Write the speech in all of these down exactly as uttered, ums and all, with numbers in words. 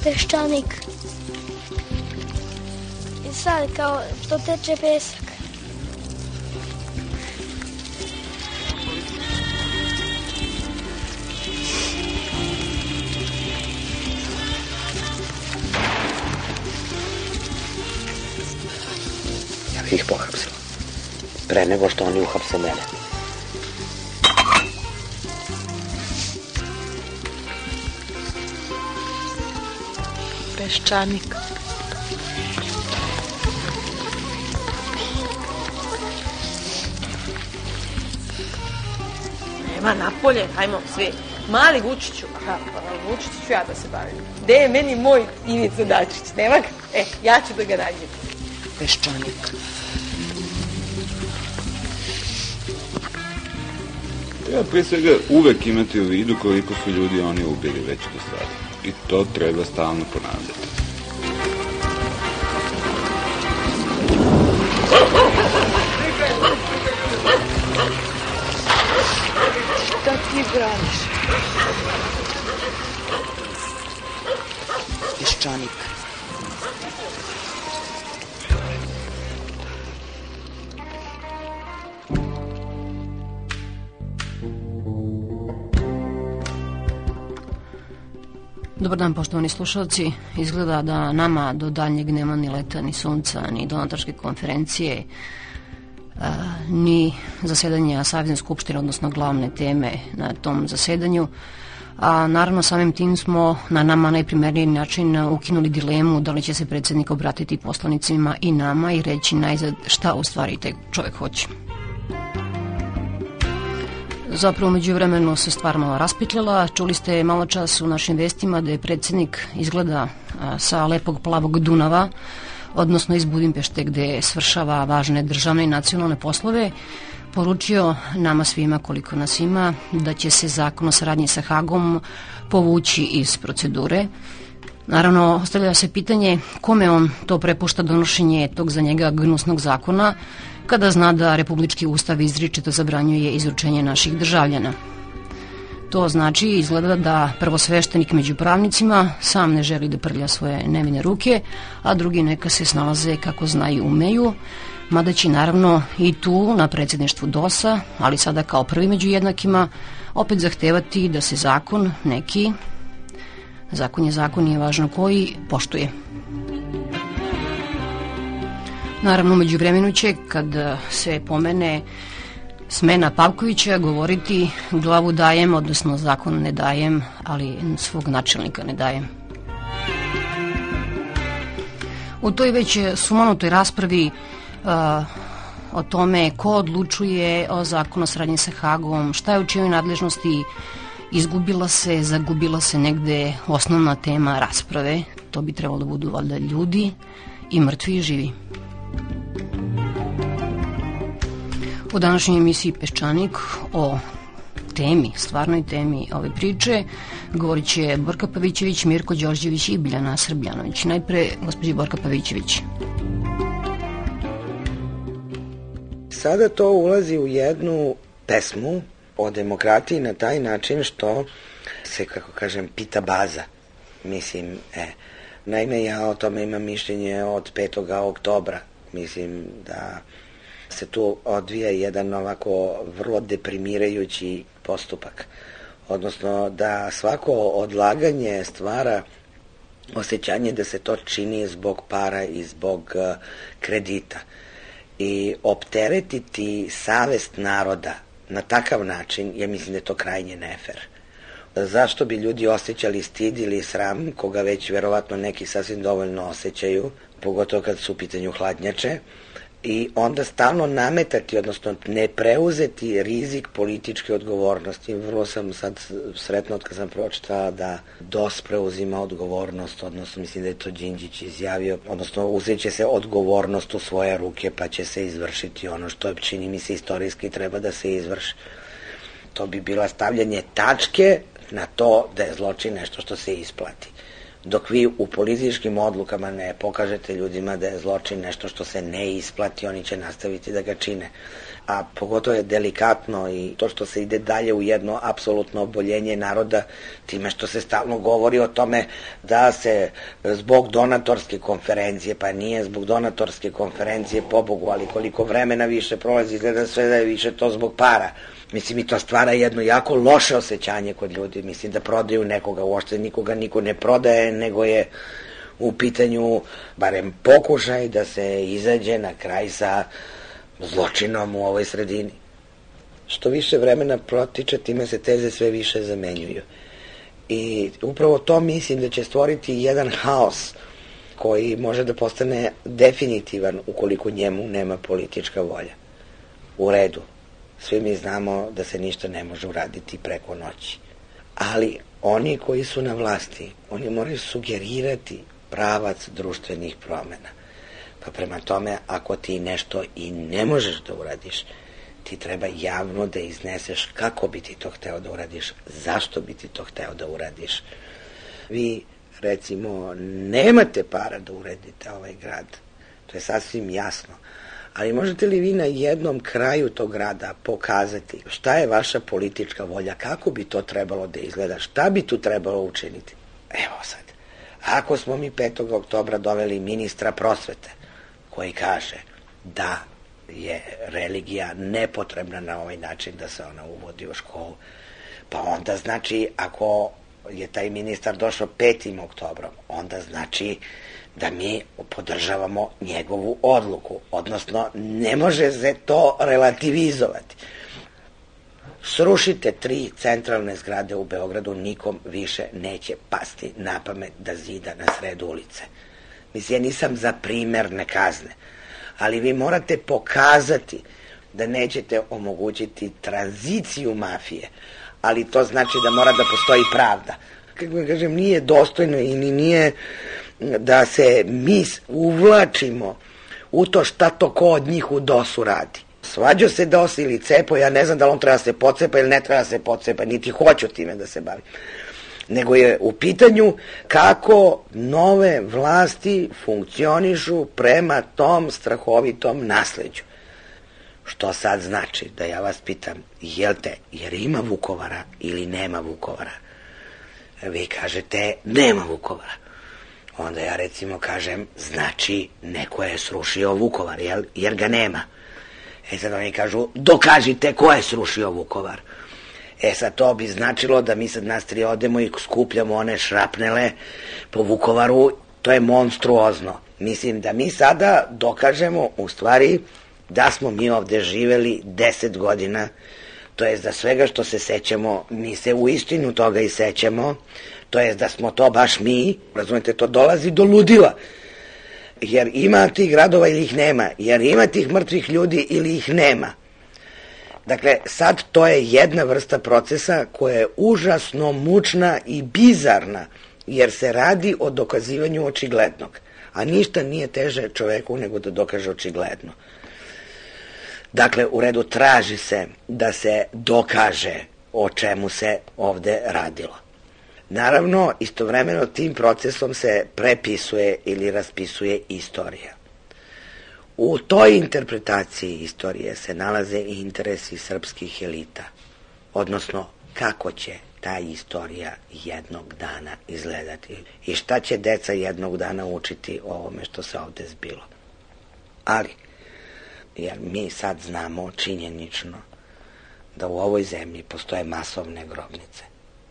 peščanik. I sad kao što teče pesak. Ja bih ih pohapsila. Pre nego što oni uhapse mene. Peščanik. Nema napolje, hajmo svi. Mali Vučiću, aha, Vučiću ću ja da se bavim. Gde je meni moj Ivica Dačić? Nema ga? E, ja ću da ga nađem. Peščanik. Treba pre svega uvek imati u vidu koliko su ljudi oni ubili već do sada. I to treba stalno ponavljati. Šta ti braniš? Peščanik. Dobar dan, poštovani slušalci. Izgleda da nama do daljnjeg nema ni leta, ni sunca, ni donatorske konferencije, a, ni zasedanja Savezne skupštine, odnosno glavne teme na tom zasedanju. A naravno samim tim smo na nama najprimerniji način ukinuli dilemu da li će se predsjednik obratiti poslanicima i nama i reći najzad šta u stvari taj čovjek hoće. Zapravo među vremenu se stvar malo raspitljala. Čuli ste malo čas u našim vestima da je predsjednik izgleda sa lepog plavog Dunava, odnosno iz Budimpešte gde svršava važne državne i nacionalne poslove, poručio nama svima koliko nas ima da će se zakon o saradnji sa Hagom povući iz procedure. Naravno, ostavlja se pitanje kome on to prepušta donošenje tog za njega gnusnog zakona, kada zna da Republički ustav izričito zabranjuje izručenje naših državljana. To znači, izgleda da prvosveštenik među pravnicima sam ne želi da prlja svoje nevine ruke, a drugi neka se snalaze kako znaju umeju, mada će naravno i tu na predsjedništvu D O S-a, ali sada kao prvi među jednakima, opet zahtevati da se zakon neki, zakon je zakon, nije važno koji, poštuje. Naravno, među vremenu će, kad se pomene smena Pavkovića, govoriti glavu dajem, odnosno zakon ne dajem, ali svog načelnika ne dajem. U toj već sumanutoj raspravi uh, o tome ko odlučuje o zakonu o saradnji sa Hagom, šta je u čijoj nadležnosti, izgubila se, zagubila se negde osnovna tema rasprave. To bi trebalo da budu valjda ljudi i mrtvi i živi. U današnjoj emisiji Peščanik o temi, stvarnoj temi ove priče, govorit će Borka Pavićević, Mirko Đorđević i Biljana Srbljanović. Najpre, gospođi Borka Pavićević. Sada to ulazi u jednu pesmu o demokratiji na taj način što se, kako kažem, pita baza. Mislim, e, naime, ja o tome imam mišljenje od petog oktobra. Mislim da se tu odvija jedan ovako vrlo deprimirajući postupak. Odnosno da svako odlaganje stvara osjećanje da se to čini zbog para i zbog kredita. I opteretiti savest naroda na takav način, ja mislim da je to krajnje nefer. Zašto bi ljudi osjećali stid ili sram, koga već verovatno neki sasvim dovoljno osjećaju, pogotovo kad su u pitanju hladnjače, i onda stalno nametati, odnosno ne preuzeti rizik političke odgovornosti. Vrlo sam sad sretno od kad sam pročitala da D O S preuzima odgovornost, odnosno mislim da je to Đinđić izjavio, odnosno uzet će se odgovornost u svoje ruke pa će se izvršiti ono što čini mi se istorijski treba da se izvrši. To bi bilo stavljanje tačke na to da je zločin nešto što se isplati. Dok vi u političkim odlukama ne pokažete ljudima da je zločin nešto što se ne isplati, oni će nastaviti da ga čine. a pogotovo je delikatno i to što se ide dalje u jedno apsolutno oboljenje naroda, time što se stalno govori o tome da se zbog donatorske konferencije, pa nije zbog donatorske konferencije, pobogu, ali koliko vremena više prolazi, izgleda sve da je više to zbog para. Mislim, i to stvara jedno jako loše osjećanje kod ljudi. Mislim da prodaju nekoga, uopšte nikoga niko ne prodaje, nego je u pitanju barem pokušaj da se izađe na kraj sa zločinom u ovoj sredini. Što više vremena protiče, time se teze sve više zamenjuju. I upravo to mislim da će stvoriti jedan haos koji može da postane definitivan ukoliko njemu nema politička volja. U redu, svi mi znamo da se ništa ne može uraditi preko noći. Ali oni koji su na vlasti, oni moraju sugerirati pravac društvenih promena. Pa prema tome, ako ti nešto i ne možeš da uradiš, ti treba javno da izneseš kako bi ti to hteo da uradiš, zašto bi ti to hteo da uradiš. Vi, recimo, nemate para da uredite ovaj grad, to je sasvim jasno, ali možete li vi na jednom kraju tog grada pokazati šta je vaša politička volja, kako bi to trebalo da izgleda, šta bi tu trebalo učiniti? Evo sad, ako smo mi petog oktobra doveli ministra prosvete, koji kaže da je religija nepotrebna na ovaj način da se ona uvodi u školu, pa onda znači, ako je taj ministar došao petim oktobrom, onda znači da mi podržavamo njegovu odluku, odnosno ne može se to relativizovati. Srušite tri centralne zgrade u Beogradu, nikom više neće pasti na pamet da zida na sred ulice. Mislim, ja nisam za primerne kazne, ali vi morate pokazati da nećete omogućiti tranziciju mafije, ali to znači da mora da postoji pravda. Kako vam kažem, nije dostojno i nije da se mi uvlačimo u to šta to ko od njih u dosu radi. Svađao se dos ili cepo, ja ne znam da li on treba da se pocepa ili ne treba da se pocepa, niti hoću time da se bavim. Nego je u pitanju kako nove vlasti funkcionišu prema tom strahovitom nasleđu. Što sad znači, da ja vas pitam, jel te, jer ima Vukovara ili nema Vukovara? Vi kažete, nema Vukovara. Onda ja recimo kažem, znači neko je srušio Vukovar, jel? Jer ga nema. E sad oni kažu, dokažite ko je srušio Vukovar. E sad to bi značilo da mi sad nas tri odemo i skupljamo one šrapnele po Vukovaru, to je monstruozno. Mislim da mi sada dokažemo u stvari da smo mi ovde živeli deset godina, to jest da svega što se sećamo, mi se u istinu toga i sećamo, to jest da smo to baš mi, razumete, to dolazi do ludila. Jer ima tih gradova ili ih nema, jer ima tih mrtvih ljudi ili ih nema. Dakle, sad to je jedna vrsta procesa koja je užasno mučna i bizarna, jer se radi o dokazivanju očiglednog, a ništa nije teže čoveku nego da dokaže očigledno. Dakle, u redu traži se da se dokaže o čemu se ovde radilo. Naravno, istovremeno tim procesom se prepisuje ili raspisuje istorija. U toj interpretaciji istorije se nalaze i interesi srpskih elita, odnosno kako će ta istorija jednog dana izgledati i šta će deca jednog dana učiti o ovome što se ovde zbilo. Ali, jer mi sad znamo činjenično da u ovoj zemlji postoje masovne grobnice.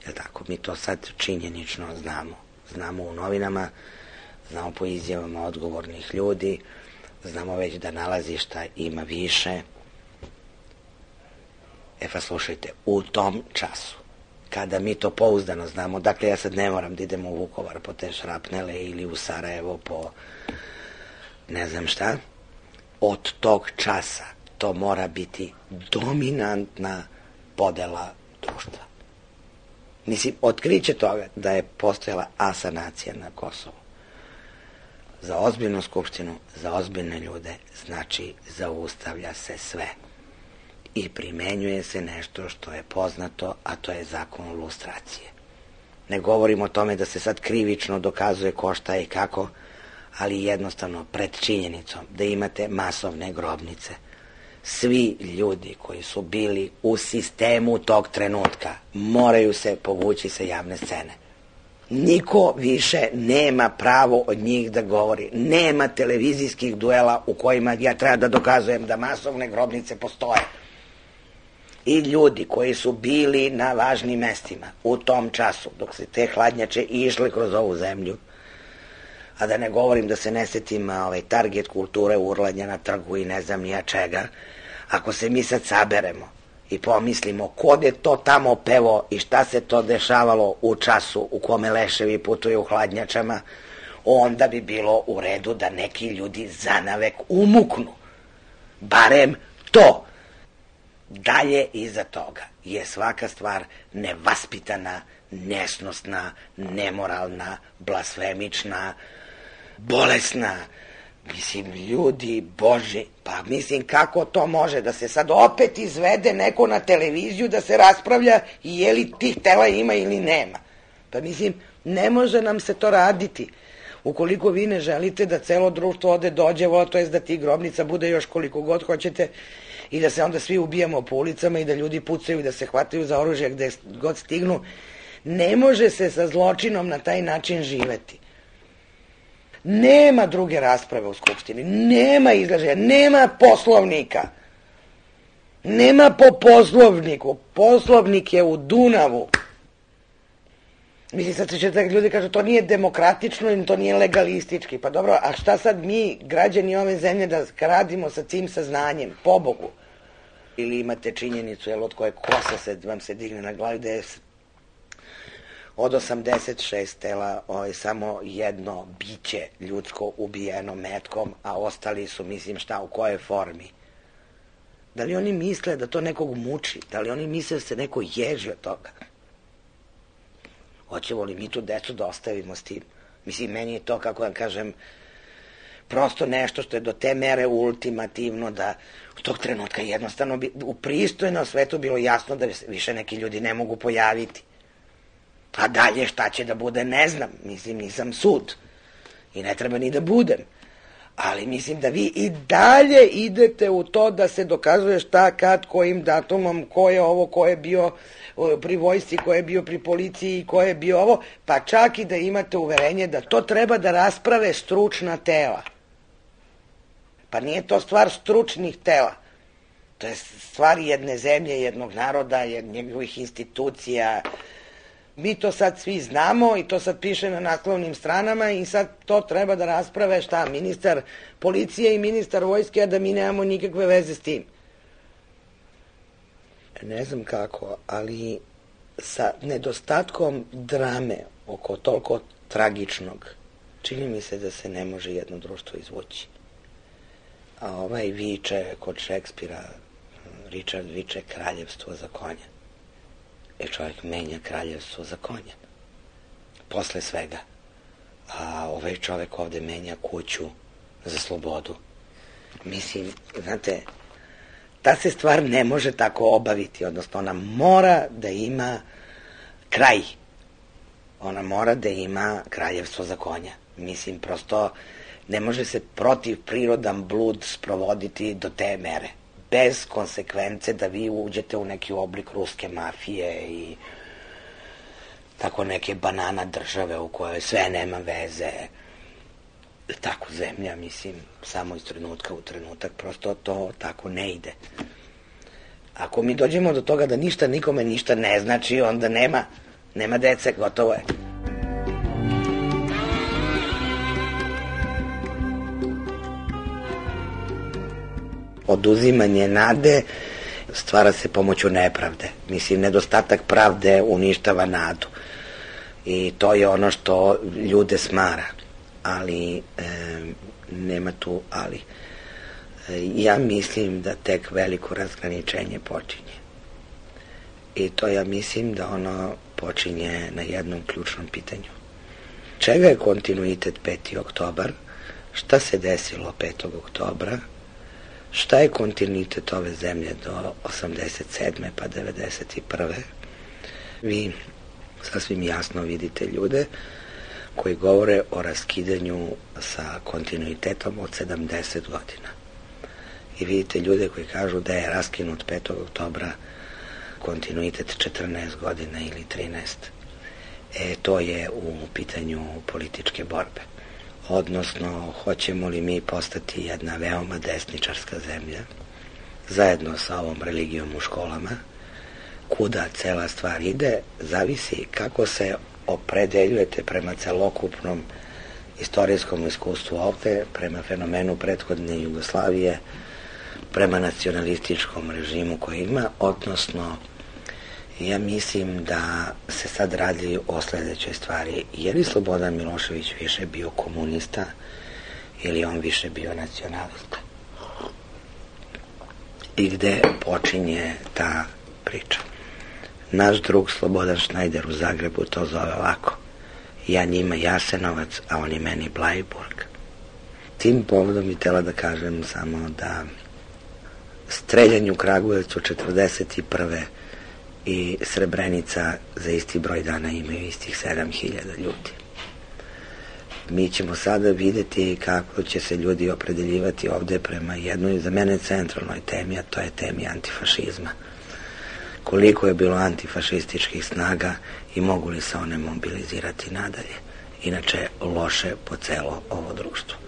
Jel tako? Mi to sad činjenično znamo. Znamo u novinama, znamo po izjavama odgovornih ljudi, znamo već da nalazišta ima više. E pa slušajte, u tom času, kada mi to pouzdano znamo, dakle ja sad ne moram da idem u Vukovar po te šrapnele ili u Sarajevo po ne znam šta, od tog časa to mora biti dominantna podela društva. Mislim, otkriće toga da je postojala asanacija na Kosovu. Za ozbiljnu skupštinu, za ozbiljne ljude, znači zaustavlja se sve. I primenjuje se nešto što je poznato, a to je zakon lustracije. Ne govorim o tome da se sad krivično dokazuje ko šta i kako, ali jednostavno pred činjenicom da imate masovne grobnice svi ljudi koji su bili u sistemu tog trenutka moraju se povući sa javne scene. Niko više nema pravo od njih da govori. Nema televizijskih duela u kojima ja treba da dokazujem da masovne grobnice postoje. I ljudi koji su bili na važnim mestima u tom času, dok se te hladnjače išle kroz ovu zemlju, a da ne govorim da se ne setim ovaj, target kulture urlanja na trgu i ne znam nija čega, ako se mi sad saberemo i pomislimo ko je to tamo pevo i šta se to dešavalo u času u kome leševi putuju u hladnjačama, onda bi bilo u redu da neki ljudi zanavek umuknu. Barem to. Dalje iza toga je svaka stvar nevaspitana, nesnosna, nemoralna, blasfemična, bolesna. Mislim, ljudi Boži, pa mislim kako to može da se sad opet izvede neko na televiziju da se raspravlja i je li tih tela ima ili nema. Pa mislim, ne može nam se to raditi. Ukoliko vi ne želite da celo društvo ode dođe, to je da ti grobnica bude još koliko god hoćete i da se onda svi ubijamo po ulicama i da ljudi pucaju i da se hvataju za oružje gde god stignu, ne može se sa zločinom na taj način živeti. Nema druge rasprave u Skupštini, nema izražaja, nema poslovnika, nema po poslovniku, poslovnik je u Dunavu. Mislim, sad će da ljudi kažu, to nije demokratično i to nije legalistički. Pa dobro, a šta sad mi, građani ove zemlje, da radimo sa tim saznanjem, pobogu? Ili imate činjenicu, jel, od koje kosa se, vam se digne na glavi, da je od osamdeset šest tela ovaj, samo jedno biće ljudsko ubijeno metkom, a ostali su, mislim, šta, u kojoj formi? Da li oni misle da to nekog muči? Da li oni misle da se neko ježi od toga? Hoćemo li mi tu decu da ostavimo s tim? Mislim, meni je to, kako da kažem, prosto nešto što je do te mere ultimativno da u tog trenutka jednostavno bi, u pristojnom svetu bilo jasno da više neki ljudi ne mogu pojaviti. A dalje šta će da bude, ne znam. Mislim, nisam sud. I ne treba ni da budem. Ali mislim da vi i dalje idete u to da se dokazuje šta, kad, kojim datumom, ko je ovo, ko je bio pri vojsci, ko je bio pri policiji, ko je bio ovo, pa čak i da imate uverenje da to treba da rasprave stručna tela. Pa nije to stvar stručnih tela. To je stvar jedne zemlje, jednog naroda, njegovih institucija. Mi to sad svi znamo i to sad piše na naslovnim stranama i sad to treba da rasprave šta, ministar policije i ministar vojske, a da mi nemamo nikakve veze s tim. Ne znam kako, ali sa nedostatkom drame oko toliko tragičnog, čini mi se da se ne može jedno društvo izvući. A ovaj viče kod Šekspira, Richard viče kraljevstvo za konja. E čovjek menja kraljevstvo za konja. Posle svega. A ovaj čovjek ovde menja kuću za slobodu. Mislim, znate, ta se stvar ne može tako obaviti, odnosno ona mora da ima kraj. Ona mora da ima kraljevstvo za konja. Mislim, prosto ne može se protiv prirodan blud sprovoditi do te mere. Bez konsekvence da vi uđete u neki oblik ruske mafije i tako neke banana države u kojoj sve nema veze. Tako zemlja, mislim, samo iz trenutka u trenutak, prosto to tako ne ide. Ako mi dođemo do toga da ništa nikome ništa ne znači, onda nema, nema dece, gotovo je. Oduzimanje nade stvara se pomoću nepravde. Mislim, nedostatak pravde uništava nadu. I to je ono što ljude smara. Ali, e, nema tu ali. E, ja mislim da tek veliko razgraničenje počinje. I to ja mislim da ono počinje na jednom ključnom pitanju. Čega je kontinuitet peti oktobar? Šta se desilo petog oktobra? Šta je kontinuitet ove zemlje do osamdeset sedme pa devedeset prve Vi sasvim jasno vidite ljude koji govore o raskidanju sa kontinuitetom od sedamdeset godina. i vidite ljude koji kažu da je raskinut petog oktobra kontinuitet četrnaest godina ili trinaest. E, to je u pitanju političke borbe. Odnosno, hoćemo li mi postati jedna veoma desničarska zemlja, zajedno sa ovom religijom u školama, kuda cela stvar ide, zavisi kako se opredeljujete prema celokupnom istorijskom iskustvu ovde, prema fenomenu prethodne Jugoslavije, prema nacionalističkom režimu koji ima, odnosno ja mislim da se sad radi o sledećoj stvari. Je li Slobodan Milošević više bio komunista ili on više bio nacionalista? I gde počinje ta priča? Naš drug Slobodan Šnajder u Zagrebu to zove ovako: ja njima Jasenovac, a oni meni Blajburg. Tim povodom bi htela da kažem samo da streljanje u Kragujevcu četrdeset prve i Srebrenica za isti broj dana imaju istih sedam hiljada ljudi. Mi ćemo sada videti kako će se ljudi opredeljivati ovde prema jednoj, za mene, centralnoj temi, a to je temi antifašizma. Koliko je bilo antifašističkih snaga i mogu li se one mobilizirati nadalje. Inače, loše po celo ovo društvo.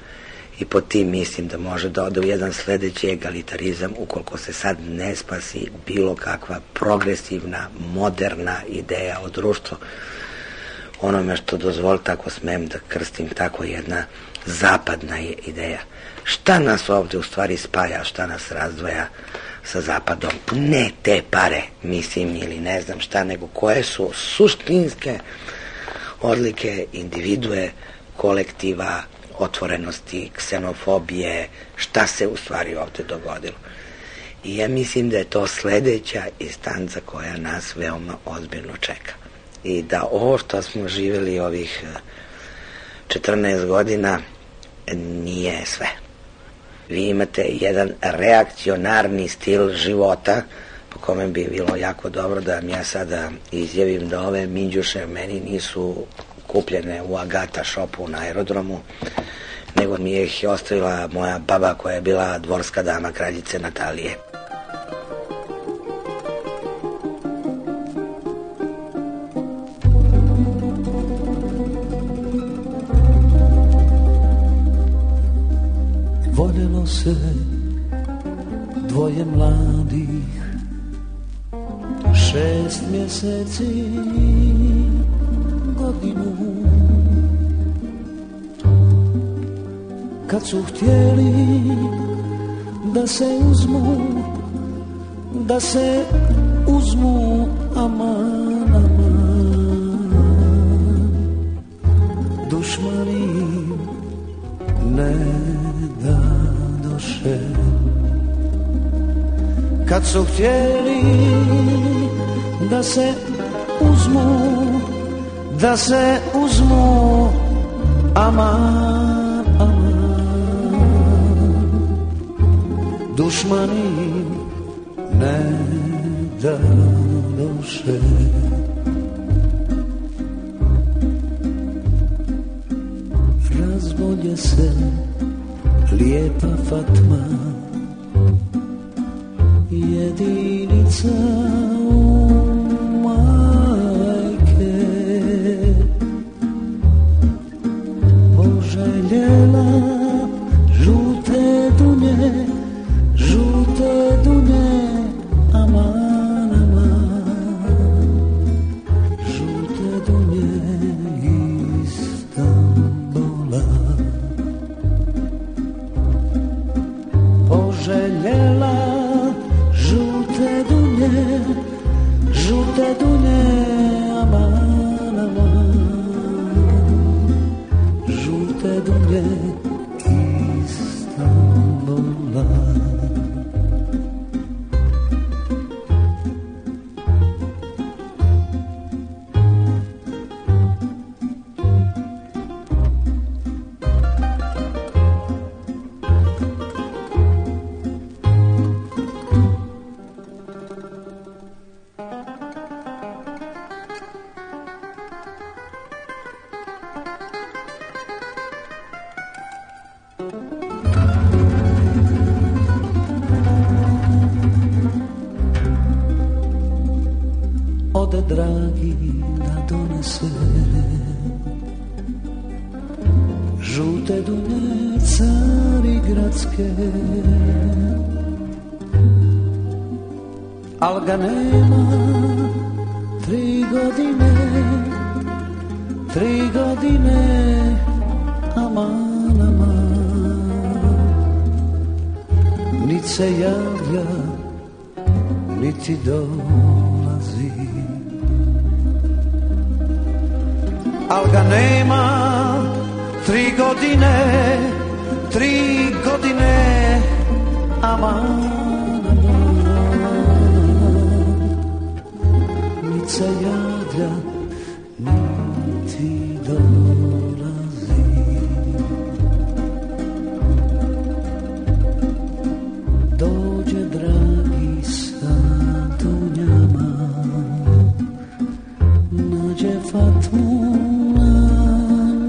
I po tim mislim da može da ode u jedan sledeći egalitarizam ukoliko se sad ne spasi bilo kakva progresivna, moderna ideja o društvu. Onome što dozvolite, ako smem da krstim, tako jedna zapadna ideja. Šta nas ovde u stvari spaja, šta nas razdvaja sa zapadom? Ne te pare, mislim, ili ne znam šta, nego koje su suštinske odlike individue, kolektiva, otvorenosti, ksenofobije, šta se u stvari ovde dogodilo. I ja mislim da je to sledeća instanca koja nas veoma ozbiljno čeka. I da ovo što smo živjeli ovih četrnaest godina nije sve. Vi imate jedan reakcionarni stil života po kome bi bilo jako dobro da vam ja sada izjavim da ove minđuše meni nisu kupljene u Agata shopu na aerodromu, nego mi je ih ostavila moja baba koja je bila dvorska dama kraljice Natalije. Voljelo se dvoje mladih, šest mjeseci, godinu. Kad su htjeli da se uzmu, da se uzmu, aman, aman, dušmani ne da doše. Kad su htjeli da se uzmu, da se uzmu, aman, aman, dušmani ne da doše. Razbolje se lijepa Fatma, jedinica u majke, poželjela žute dunje, žute dunje, aman, aman, žute dunje Istanbula. Poželjela žute dunje, žute dunje, aman, aman, žute dunje Istanbula. ode dragi da donese žute dune Carigradske, al ga nema tri godine, tri godine, aman, aman, nit se javlja, niti dolazi, al ga nema tri godine, tri godine, aman, nit se javlja, niti dolazi. Dođe dragi sa dunjama, nađe Fatmu na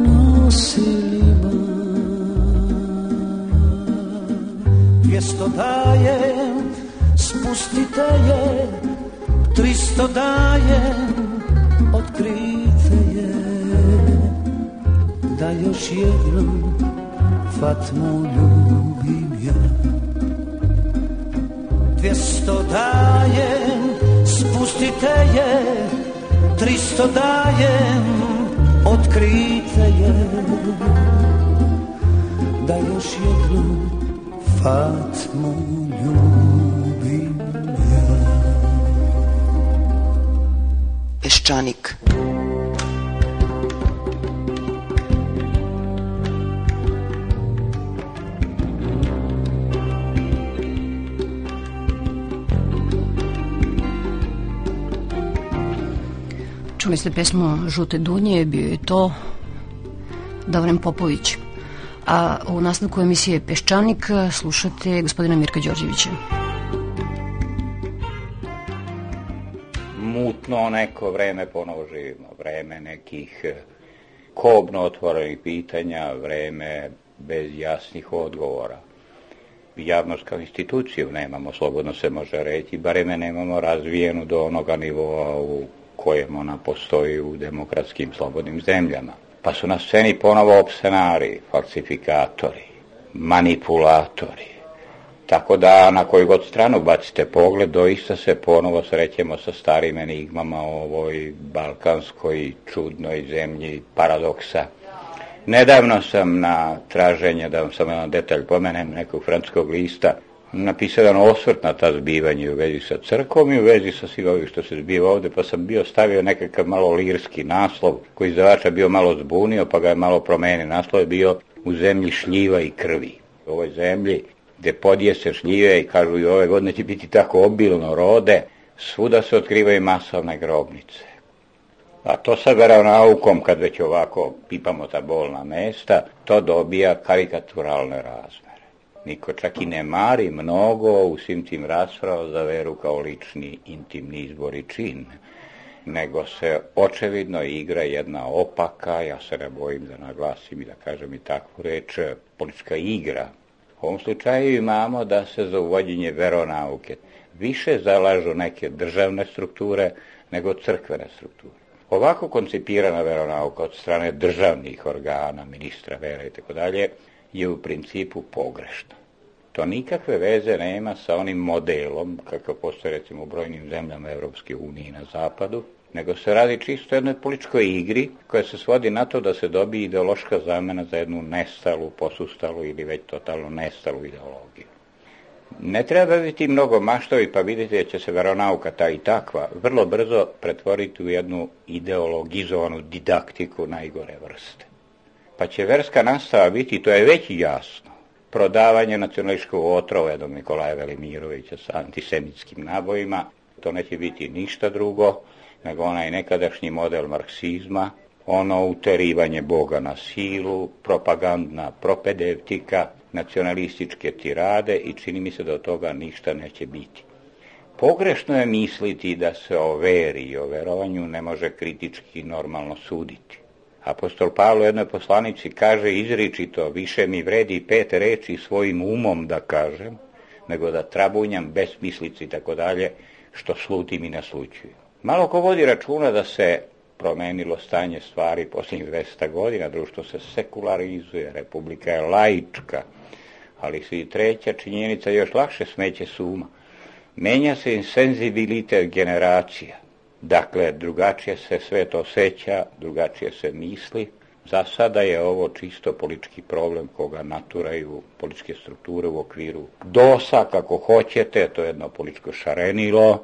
nosilima, dvjesto dajem, spustite je, tristo dajem, otkrite je, da još jednom Fatmu ljubim ja. Dvjesto dajem, spustite je, tristo dajem, otkrite je, da još jednom Fatmu ljubim ja. Peščanik. Čuli ste pesmu Žute dunje, bio je to Davren Popović. A u nastavku emisije Peščanik slušate gospodina Mirka Đorđevića. Mutno neko vreme ponovo živimo, vreme nekih kobno otvorenih pitanja, vreme bez jasnih odgovora. Javnost kao instituciju nemamo, slobodno se može reći, bareme nemamo razvijenu do onoga nivoa u kojem ona postoji u demokratskim slobodnim zemljama. Pa su na sceni ponovo opsenari, falsifikatori, manipulatori. Tako da na koju god stranu bacite pogled, doista se ponovo srećemo sa starim enigmama o ovoj balkanskoj čudnoj zemlji paradoksa. Nedavno sam na traženje, da vam samo jedan detalj pomenem, nekog francuskog lista, napisao jedan osvrt na ta zbivanja u vezi sa crkvom i u vezi sa svim ovih što se zbiva ovde, pa sam bio stavio nekakav malo lirski naslov, koji izdavača bio malo zbunio, pa ga je malo promenio. Naslov je bio U zemlji šljiva i krvi. U ovoj zemlji gde podjese šljive i kažu i ove godine će biti tako obilno rode, svuda se otkrivaju masovne grobnice. A to sa veronaukom, kad već ovako pipamo ta bolna mesta, to dobija karikaturalne razmere. Niko čak i ne mari mnogo u svim tim raspravama za veru kao lični, intimni izbor i čin, nego se očevidno igra jedna opaka, ja se ne bojim da naglasim i da kažem i takvu reč, politička igra. U ovom slučaju imamo da se za uvođenje veronauke više zalažu neke državne strukture nego crkvene strukture. Ovako koncipirana veronauka od strane državnih organa, ministra vere i tako dalje, je u principu pogrešna. To nikakve veze nema sa onim modelom, kakav postoje recimo u brojnim zemljama Evropske unije na zapadu, nego se radi čisto jednoj političkoj igri koja se svodi na to da se dobije ideološka zamena za jednu nestalu, posustalu ili već totalno nestalu ideologiju. Ne treba biti mnogo maštovi, pa vidite da će se veronauka ta i takva vrlo brzo pretvoriti u jednu ideologizovanu didaktiku najgore vrste. Pa će verska nastava biti, to je već jasno, prodavanje nacionalističkog otrova jednog Nikolaja Velimirovića sa antisemitskim nabojima. To neće biti ništa drugo nego onaj nekadašnji model marksizma, ono uterivanje Boga na silu, propagandna propedevtika, nacionalističke tirade i čini mi se da od toga ništa neće biti. Pogrešno je misliti da se o veri i o verovanju ne može kritički normalno suditi. Apostol Pavle u jednoj poslanici kaže izričito, više mi vredi pet reči svojim umom da kažem, nego da trabunjam besmislici i tako dalje, što slutim i naslućujem. Malo ko vodi računa da se promenilo stanje stvari posljednjih dvesta godina, društvo se sekularizuje, republika je laička, ali se i treća činjenica još lakše smeće s uma. Menja se i senzibilitet generacija. Dakle, drugačije se sve to osjeća, drugačije se misli. Za sada je ovo čisto politički problem koga naturaju političke strukture u okviru dosa, kako hoćete, to je jedno političko šarenilo,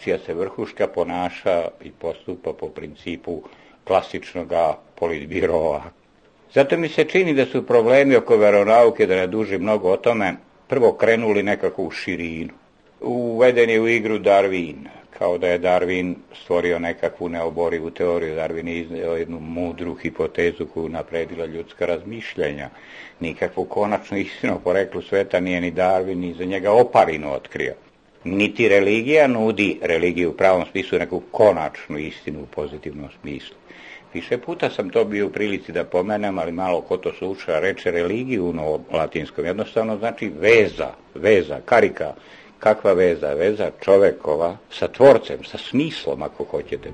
čija se vrhuška ponaša i postupa po principu klasičnog politbirova. Zato mi se čini da su problemi oko veronauke, da ne duži mnogo o tome, prvo krenuli nekako u širinu. Uveden je u igru Darwin, kao da je Darwin stvorio nekakvu neoborivu teoriju. Darwin je izneo jednu mudru hipotezu koju napredila ljudska razmišljanja. Nikakvu konačnu istinu o poreklu sveta nije ni Darwin ni za njega Oparinu otkrio. Niti religija nudi religiju u pravom smislu, neku konačnu istinu u pozitivnom smislu. Više puta sam to bio u prilici da pomenem, ali malo ko to sluša, reče religiju u latinskom. Jednostavno znači veza, veza, karika. Kakva veza? Veza čovekova sa tvorcem, sa smislom, ako hoćete.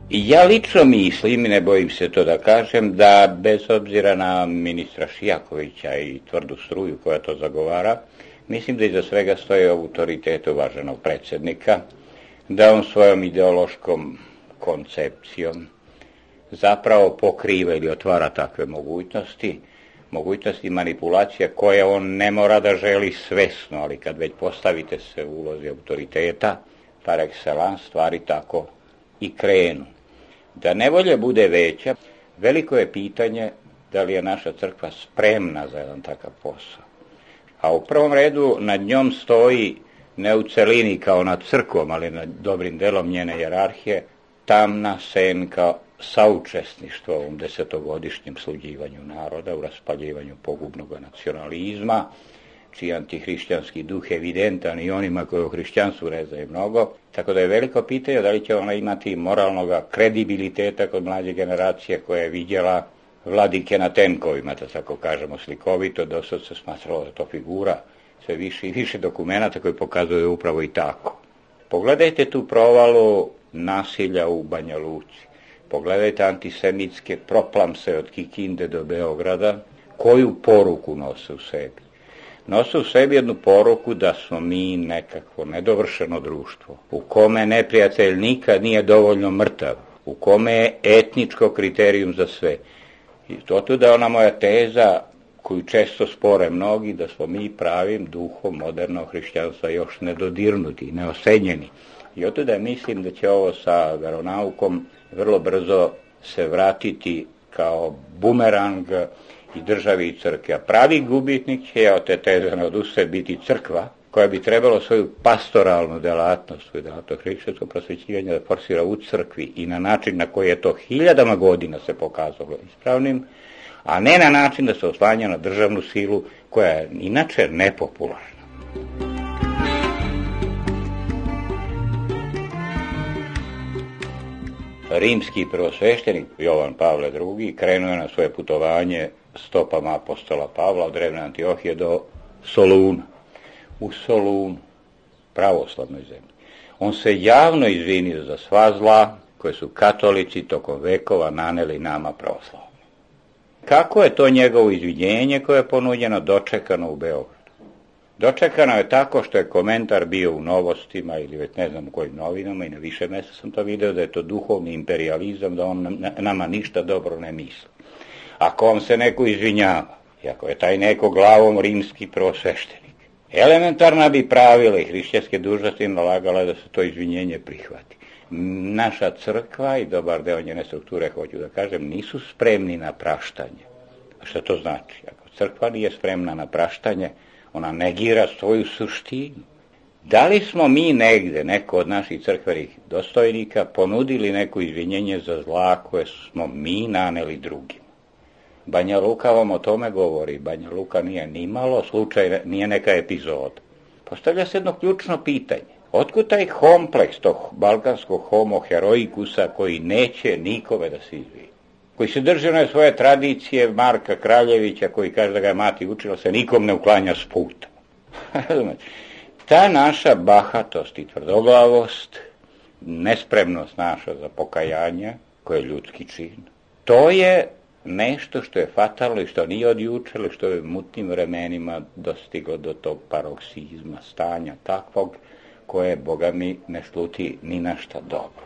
Ja lično mislim, i ne bojim se to da kažem, da bez obzira na ministra Šijakovića i tvrdu struju koja to zagovara, mislim da iza svega stoji autoritet uvaženog predsjednika, da on svojom ideološkom koncepcijom zapravo pokriva ili otvara takve mogućnosti, mogućnosti manipulacija koje on ne mora da želi svesno, ali kad već postavite se u ulozi autoriteta, par excellence, stvari tako i krenu. Da nevolja bude veća, veliko je pitanje da li je naša crkva spremna za jedan takav posao. A u prvom redu nad njom stoji ne u celini kao nad crkvom, ali nad dobrim delom njene hijerarhije, tamna senka saučesništva u ovom desetogodišnjem sluđivanju naroda, u raspaljivanju pogubnog nacionalizma, čiji antihrišćanski duh je evidentan i onima koji u hrišćanstvu rezaju mnogo. Tako da je veliko pitanje da li će ona imati moralnog kredibiliteta kod mlađe generacije koja je vidjela vladike na tenkovima, da tako kažemo slikovito, do sad se smatralo da to figura, sve više i više dokumenata koji pokazuju upravo i tako. Pogledajte tu provalu nasilja u Banja Luci. Pogledajte antisemitske proplamse od Kikinde do Beograda, koju poruku nose u sebi. Nose u sebi jednu poruku da smo mi nekakvo nedovršeno društvo, u kome neprijatelj nikad nije dovoljno mrtav, u kome je etničko kriterijum za sve. I to tu da je ona moja teza, koju često spore mnogi, da smo mi pravim duhom modernog hrišćanstva još nedodirnuti, neosenjeni. I od da mislim da će ovo sa veronaukom vrlo brzo se vratiti kao bumerang i državi i crkvi. A pravi gubitnik će od te teze ne odustane biti crkva, koja bi trebalo svoju pastoralnu delatnost, svoju delatnost hrišćanskog prosvećivanja da forsira u crkvi i na način na koji je to hiljadama godina se pokazalo ispravnim, a ne na način da se oslanja na državnu silu koja je inače nepopularna. Rimski prvosveštenik Jovan Pavle drugi krenuo je na svoje putovanje stopama apostola Pavla od drevne Antiohije do Soluna. U Solunu, pravoslavnoj zemlji. On se javno izvinio za sva zla koje su katolici tokom vekova naneli nama pravoslavni. Kako je to njegovo izvinjenje koje je ponuđeno dočekano u Beogradu? Dočekano je tako što je komentar bio u Novostima ili već ne znam u kojim novinama i na više mjesta sam to video da je to duhovni imperijalizam, da on nama ništa dobro ne misli. Ako vam se neko izvinjava, i ako je taj neko glavom rimski prvosveštenik, elementarna bi pravila i hrišćanske dužnosti nalagala da se to izvinjenje prihvati. Naša crkva i dobar deo njene strukture, hoću da kažem, nisu spremni na praštanje. A što to znači? Ako crkva nije spremna na praštanje, ona negira svoju suštinu. Da li smo mi negde, neko od naših crkvenih dostojnika, ponudili neko izvinjenje za zla koje smo mi naneli drugim? Banja Luka vam o tome govori. Banja Luka nije ni malo slučaj, nije neka epizoda. Postavlja se jedno ključno pitanje. Otkud taj kompleks tog balkanskog homo heroikusa koji neće nikome da se izvini? koji se drže one svoje tradicije Marka Kraljevića, koji kaže da ga je mati učila, se nikom ne uklanja s puta. Ta naša bahatost i tvrdoglavost, nespremnost naša za pokajanje, koje je ljudski čin, to je nešto što je fatalno i što nije od juče, ali što je u mutnim vremenima dostiglo do tog paroksizma, stanja takvog koje, Boga mi, ne sluti ni na šta dobro.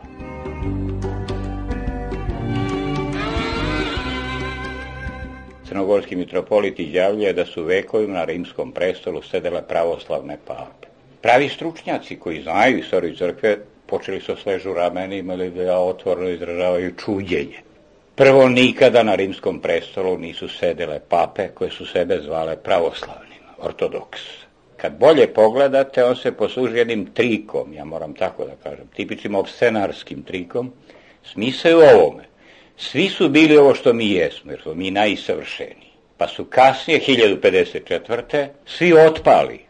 Crnogorski mitropolit izjavljuje da su vekovima na rimskom prestolu sedele pravoslavne pape. Pravi stručnjaci koji znaju istoriju crkve počeli su sležu ramenima ili da otvoreno izražavaju čuđenje. Prvo, nikada na rimskom prestolu nisu sedele pape koje su sebe zvale pravoslavnima, ortodoks. Kad bolje pogledate, on se posluži jednim trikom, ja moram tako da kažem, tipičnim opscenarskim trikom, smisao u ovome. Svi su bili ovo što mi jesmo, jer smo mi najsavršeniji. Pa su kasnije, hiljadu pedeset četvrte svi otpali.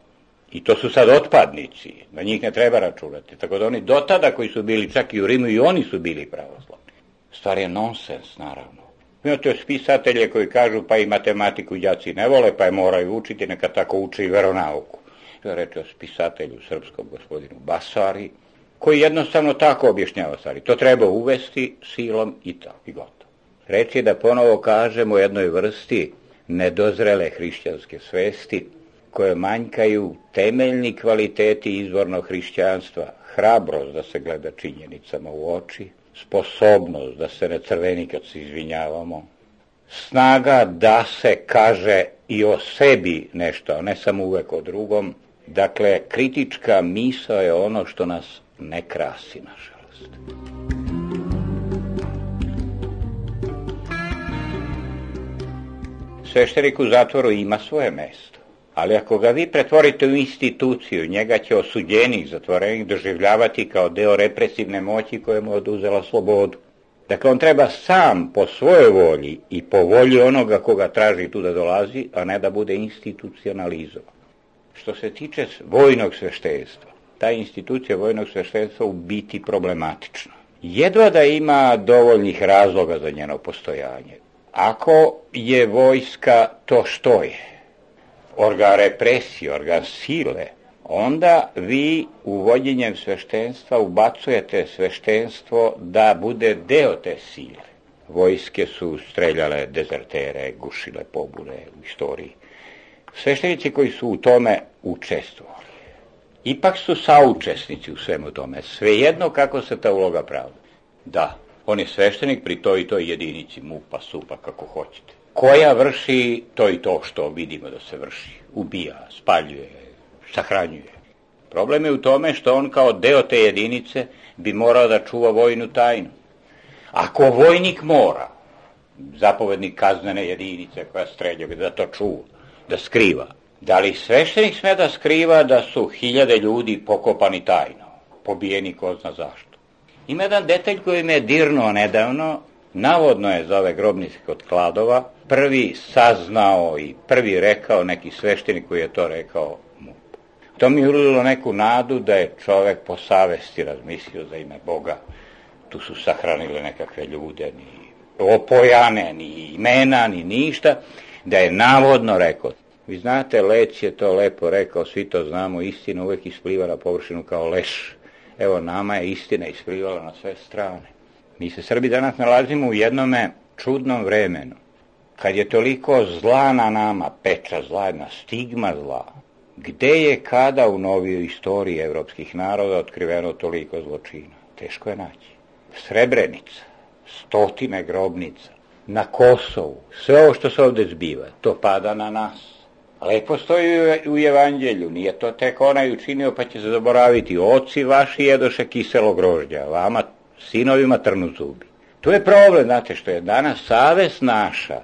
I to su sad otpadnici, na njih ne treba računati. Tako da oni do tada koji su bili čak i u Rimu, i oni su bili pravoslavni. Stvar je nonsens, naravno. Imate spisatelje koji kažu pa i matematiku đaci ne vole, pa je moraju učiti, neka tako uče i veronauku. To je reče o spisatelju srpskom gospodinu Basari, koji jednostavno tako objašnjava stvari. To treba uvesti silom i tako, i gotovo. Reč je da ponovo kažemo o jednoj vrsti nedozrele hrišćanske svesti, koje manjkaju temeljni kvaliteti izvornog hrišćanstva, hrabrost da se gleda činjenicama u oči, sposobnost da se ne crveni kad se izvinjavamo, snaga da se kaže i o sebi nešto, a ne samo uvek o drugom. Dakle, kritička misao je ono što nas ne krasi, nažalost. Sveštenik u zatvoru ima svoje mesto, ali ako ga vi pretvorite u instituciju, njega će osuđenih, zatvorenih doživljavati kao deo represivne moći koja mu je oduzela slobodu. Dakle, on treba sam po svojoj volji i po volji onoga koga traži tu da dolazi, a ne da bude institucionalizovan. Što se tiče vojnog sveštenstva, ta institucija vojnog sveštenstva u biti problematična. Jedva da ima dovoljnih razloga za njeno postojanje. Ako je vojska to što je, organ represije, organ sile, onda vi uvođenjem sveštenstva ubacujete sveštenstvo da bude deo te sile. Vojske su streljale dezertere, gušile pobune u istoriji. Sveštenici koji su u tome učestvovali, ipak su saučesnici u svemu tome, svejedno kako se ta uloga pravda. Da, on je sveštenik pri toj i toj jedinici MUP-a, SUP-a, kako hoćete, koja vrši to i to što vidimo da se vrši. Ubija, spaljuje, sahranjuje. Problem je u tome što on kao deo te jedinice bi morao da čuva vojnu tajnu. Ako vojnik mora, zapovednik kaznene jedinice koja streljava, da to čuva, da skriva, da li sveštenik sme da skriva da su hiljade ljudi pokopani tajno, pobijeni ko zna zašto? Ima jedan detalj koji me je dirnuo nedavno, navodno je za ove grobnice kod Kladova prvi saznao i prvi rekao neki sveštenik koji je to rekao MUP. To mi je ulilo neku nadu da je čovek po savesti razmislio za ime Boga. Tu su sahranile nekakve ljude, ni opojane, ni imena, ni ništa, da je navodno rekao. Vi znate, Lec je to lepo rekao, svi to znamo, istina uvek ispliva na površinu kao leš. Evo, nama je istina isplivala na sve strane. Mi se Srbi danas nalazimo u jednome čudnom vremenu, kad je toliko zla na nama, peča zla, jedna stigma zla. Gde je kada u novijoj istoriji evropskih naroda otkriveno toliko zločina? Teško je naći. Srebrenica, stotine grobnica, na Kosovu, sve ovo što se ovde zbiva, to pada na nas. Lepo stoji u evanđelju, nije to tek onaj učinio pa će se zaboraviti. Oci vaši jedoše kiselo grožđa, vama sinovima trnu zubi. To je problem, znate, što je danas savest naša,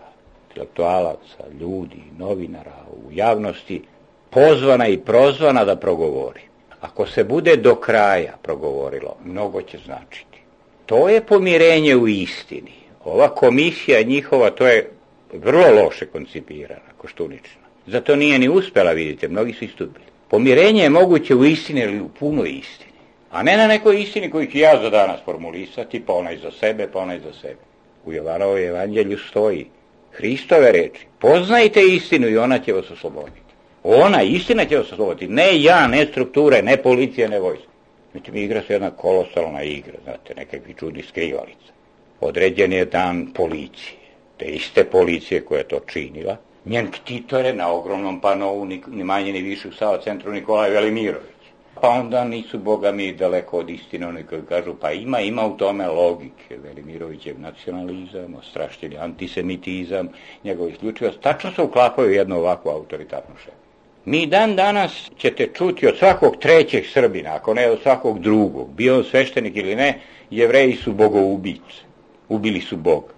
intelektualaca, ljudi, novinara u javnosti, pozvana i prozvana da progovori. Ako se bude do kraja progovorilo, mnogo će značiti. To je pomirenje u istini. Ova komisija njihova, to je vrlo loše koncipirana, Koštunična. Zato nije ni uspela, vidite, mnogi su istupili. Pomirenje je moguće u istini ili u punoj istini, a ne na nekoj istini koju ću ja za danas formulisati, pa onaj za sebe, pa onaj za sebe. U Jovanovoj evanđelju stoji Hristove reči, poznajte istinu i ona će vas osloboditi. Ona, istina će vas osloboditi, ne ja, ne strukture, ne policija, ne vojska. Međutim, igra se jedna kolosalna igra, znate, nekakvi čudi skrivalica. Određen je dan policije, te iste policije koja je to činila. Njen ktitor je na ogromnom panovu, ni, ni manje ni više u Sava centru Nikolaj Velimirović. Pa onda nisu, boga mi, daleko od istine, oni koji kažu, pa ima, ima u tome logike. Velimirovićev nacionalizam, ostrašćeni antisemitizam, njegov isključivost, tačno se uklapaju jednu ovakvu autoritarnu šemu. Mi dan danas ćete čuti od svakog trećeg Srbina, ako ne od svakog drugog, bio on sveštenik ili ne, Jevreji su bogoubice, ubili su Boga.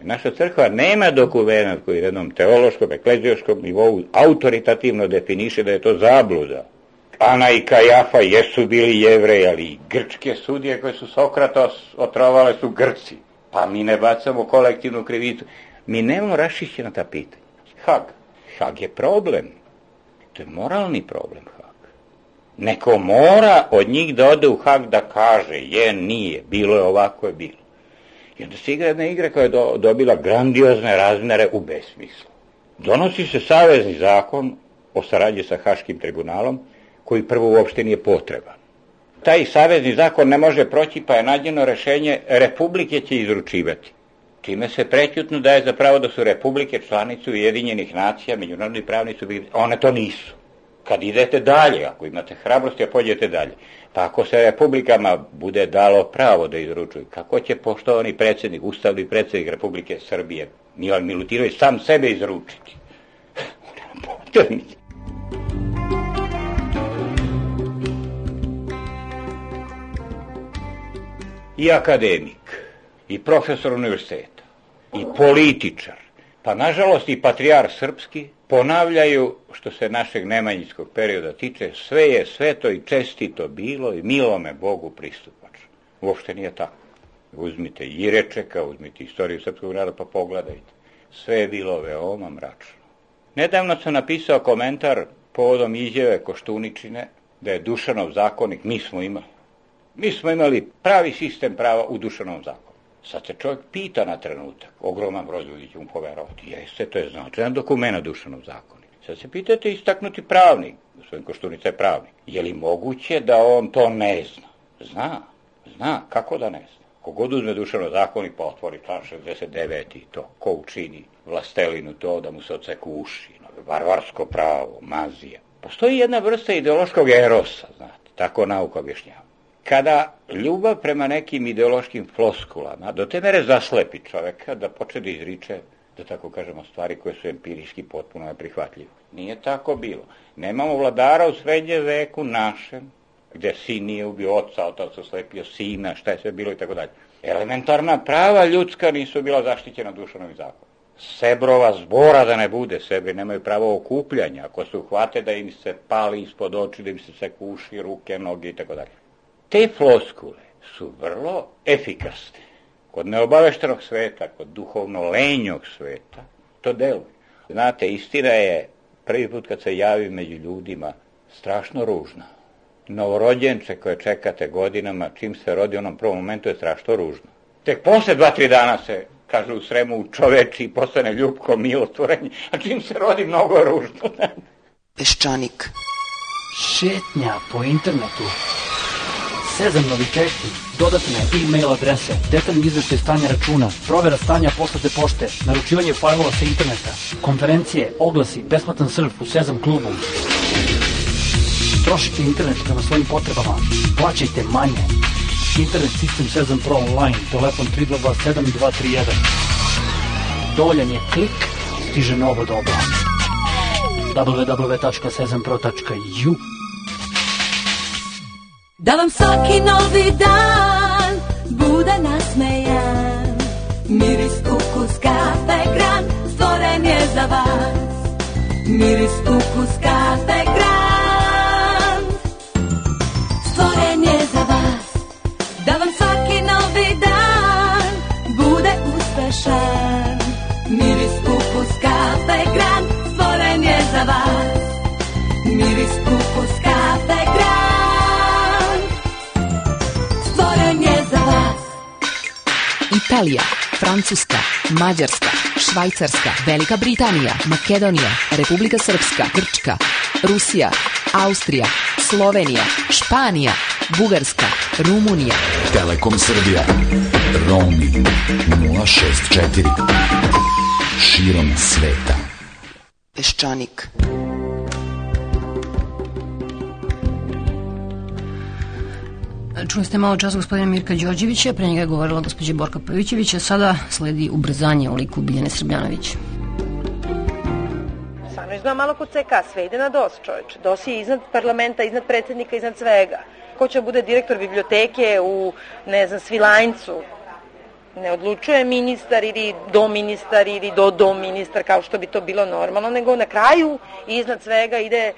Naša crkva nema dokumenat koji na jednom teološkom, eklezijoškom nivou autoritativno definiše da je to zabluda. Ana i Kajafa jesu bili Jevreji, ali i grčke sudije koje su Sokrata otrovale su Grci. Pa mi ne bacamo kolektivnu krivicu. Mi nemamo raščišćena ta pitanja. Hag. Hag je problem. To je moralni problem Hag. Neko mora od njih da ode u Hag da kaže je, nije, bilo je ovako je bilo. I onda se igra jedna igra koja je do, dobila grandiozne razmere u besmislu. Donosi se savezni zakon o saradnji sa Haškim tribunalom, koji prvo uopšte nije potreban. Taj savezni zakon ne može proći, pa je nađeno rešenje, republike će izručivati. Čime se prećutno daje za pravo da su republike članice Ujedinjenih nacija, međunarodni pravni subjekti, one to nisu. Kad idete dalje, ako imate hrabrosti, a pođete dalje, pa ako se republikama bude dalo pravo da izručuju, kako će poštovani predsjednik, ustavni predsjednik Republike Srbije, Milan Milutinović, sam sebe izručiti? I akademik, i profesor univerziteta, i političar, pa nažalost i patrijar srpski, ponavljaju, što se našeg nemanjinskog perioda tiče, sve je sveto i čestito bilo i milome Bogu pristupačno. Uopšte nije tako. Uzmite Jirečeka, uzmite istoriju srpskog naroda pa pogledajte. Sve je bilo veoma mračno. Nedavno sam napisao komentar povodom izjave Koštuničine da je Dušanov zakonik, mi smo imali. Mi smo imali pravi sistem prava u Dušanovom zakonu. Sad se čovjek pita na trenutak, ogroman broj ljudi će mu poverovati, jeste, to je značajan dokument Dušanov zakonik. Sad se pitate istaknuti pravnik, gospodin Koštunica je pravnik, je li moguće da on to ne zna? Zna, zna, kako da ne zna? Kogod uzme Dušanov zakonik pa otvori član šezdeset devet i to, ko učini vlastelinu to da mu se odseku uši, varvarsko pravo, mazija. Postoji jedna vrsta ideološkog erosa, znate, tako nauka objašnjava. Kada ljubav prema nekim ideološkim floskulama do te mere zaslepi čoveka da počne da izriče, da tako kažemo, stvari koje su empirijski potpuno neprihvatljive. Nije tako bilo. Nemamo vladara u srednjem veku našem, gde sin nije ubio oca, otac oslepio sina, šta je sve bilo i tako dalje. Elementarna prava ljudska nisu bila zaštićena Dušanovim zakonom. Sebrova zbora da ne bude, Sebri nemaju pravo okupljanja, ako se uhvate da im se pali ispod oči, da im se seku uši, ruke, noge i tako dalje. Te floskule su vrlo efikasne. Kod neobaveštenog sveta, kod duhovno lenjog sveta, to deluje. Znate, istina je, prvi put kad se javi među ljudima, strašno ružna. Novorođenče koje čekate godinama, čim se rodi u onom prvom momentu je strašno ružno. Tek posle dva, tri dana se, kaže u Sremu, u čoveči i postane ljubko, milotvorenje, a čim se rodi mnogo je ružno. Peščanik. Šetnja po internetu. Sezam novitešti, dodatne e-mail adrese, detaljni izveštaj stanja računa, provera stanja poslate pošte, naručivanje fajlova sa interneta, konferencije, oglasi, besplatan surf u Sezam klubu. Trošite internet prema svojim potrebama, plaćajte manje. Internet sistem Sezam Pro Online, telefon tri dva dva sedam dva tri jedan. Dovoljan je klik, stiže novo doba. w w w tačka sezam pro tačka u Da vam svaki novi dan bude nasmejan, miris, ukus, kafe, gran, stvoren je za vas. Miris, ukus, kafe, gran, stvoren je za vas. Da vam svaki novi dan bude uspešan, miris, ukus, kafe, gran, stvoren je za vas. Miris, ukus, kafe, gran, Italija. Francuska, Mađarska, Švajcarska, Velika Britanija, Makedonija, Republika Srpska, Grčka, Rusija, Austrija, Slovenija, Španija, Bugarska, Rumunija. Telekom Srbija. Roaming nula šest četiri. Širom sveta. Peščanik. Čuli ste malo čas gospodina Mirka Đorđevića, pre njega je govorila gospođa Borka Pavićević, a sada sledi ubrzanje u liku Biljane Srbljanović. Samo izgleda malo kod C K, sve ide na D O S, čovječe. D O S je iznad parlamenta, iznad predsjednika, iznad svega. Ko će bude direktor biblioteke u, ne znam, Svilajncu? Ne odlučuje ministar ili doministar ili do-do-ministar, kao što bi to bilo normalno, nego na kraju iznad svega ide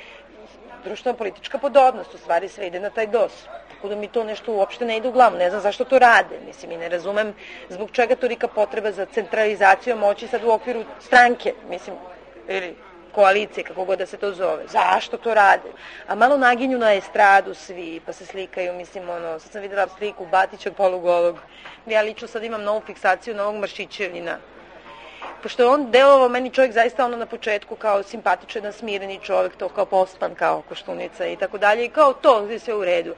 društveno-politička podobnost, u stvari sve ide na taj D O S. Tako da mi to nešto uopšte ne ide u glavu, ne znam zašto to rade, mislim i ne razumem zbog čega tolika potreba za centralizacijom moći sad u okviru stranke, mislim, ili koalicije, kako god da se to zove. Zašto to rade? A malo naginju na estradu svi, pa se slikaju, mislim, ono, sad sam videla sliku Batića polugolog. Ja lično sad imam novu fiksaciju novog Maršićevina. Pošto je on delovao meni čovjek zaista ono na početku kao simpatičan, smireni čovjek, to kao pospan, kao Koštunica i tako dalje, i kao to, gdje sve u redu.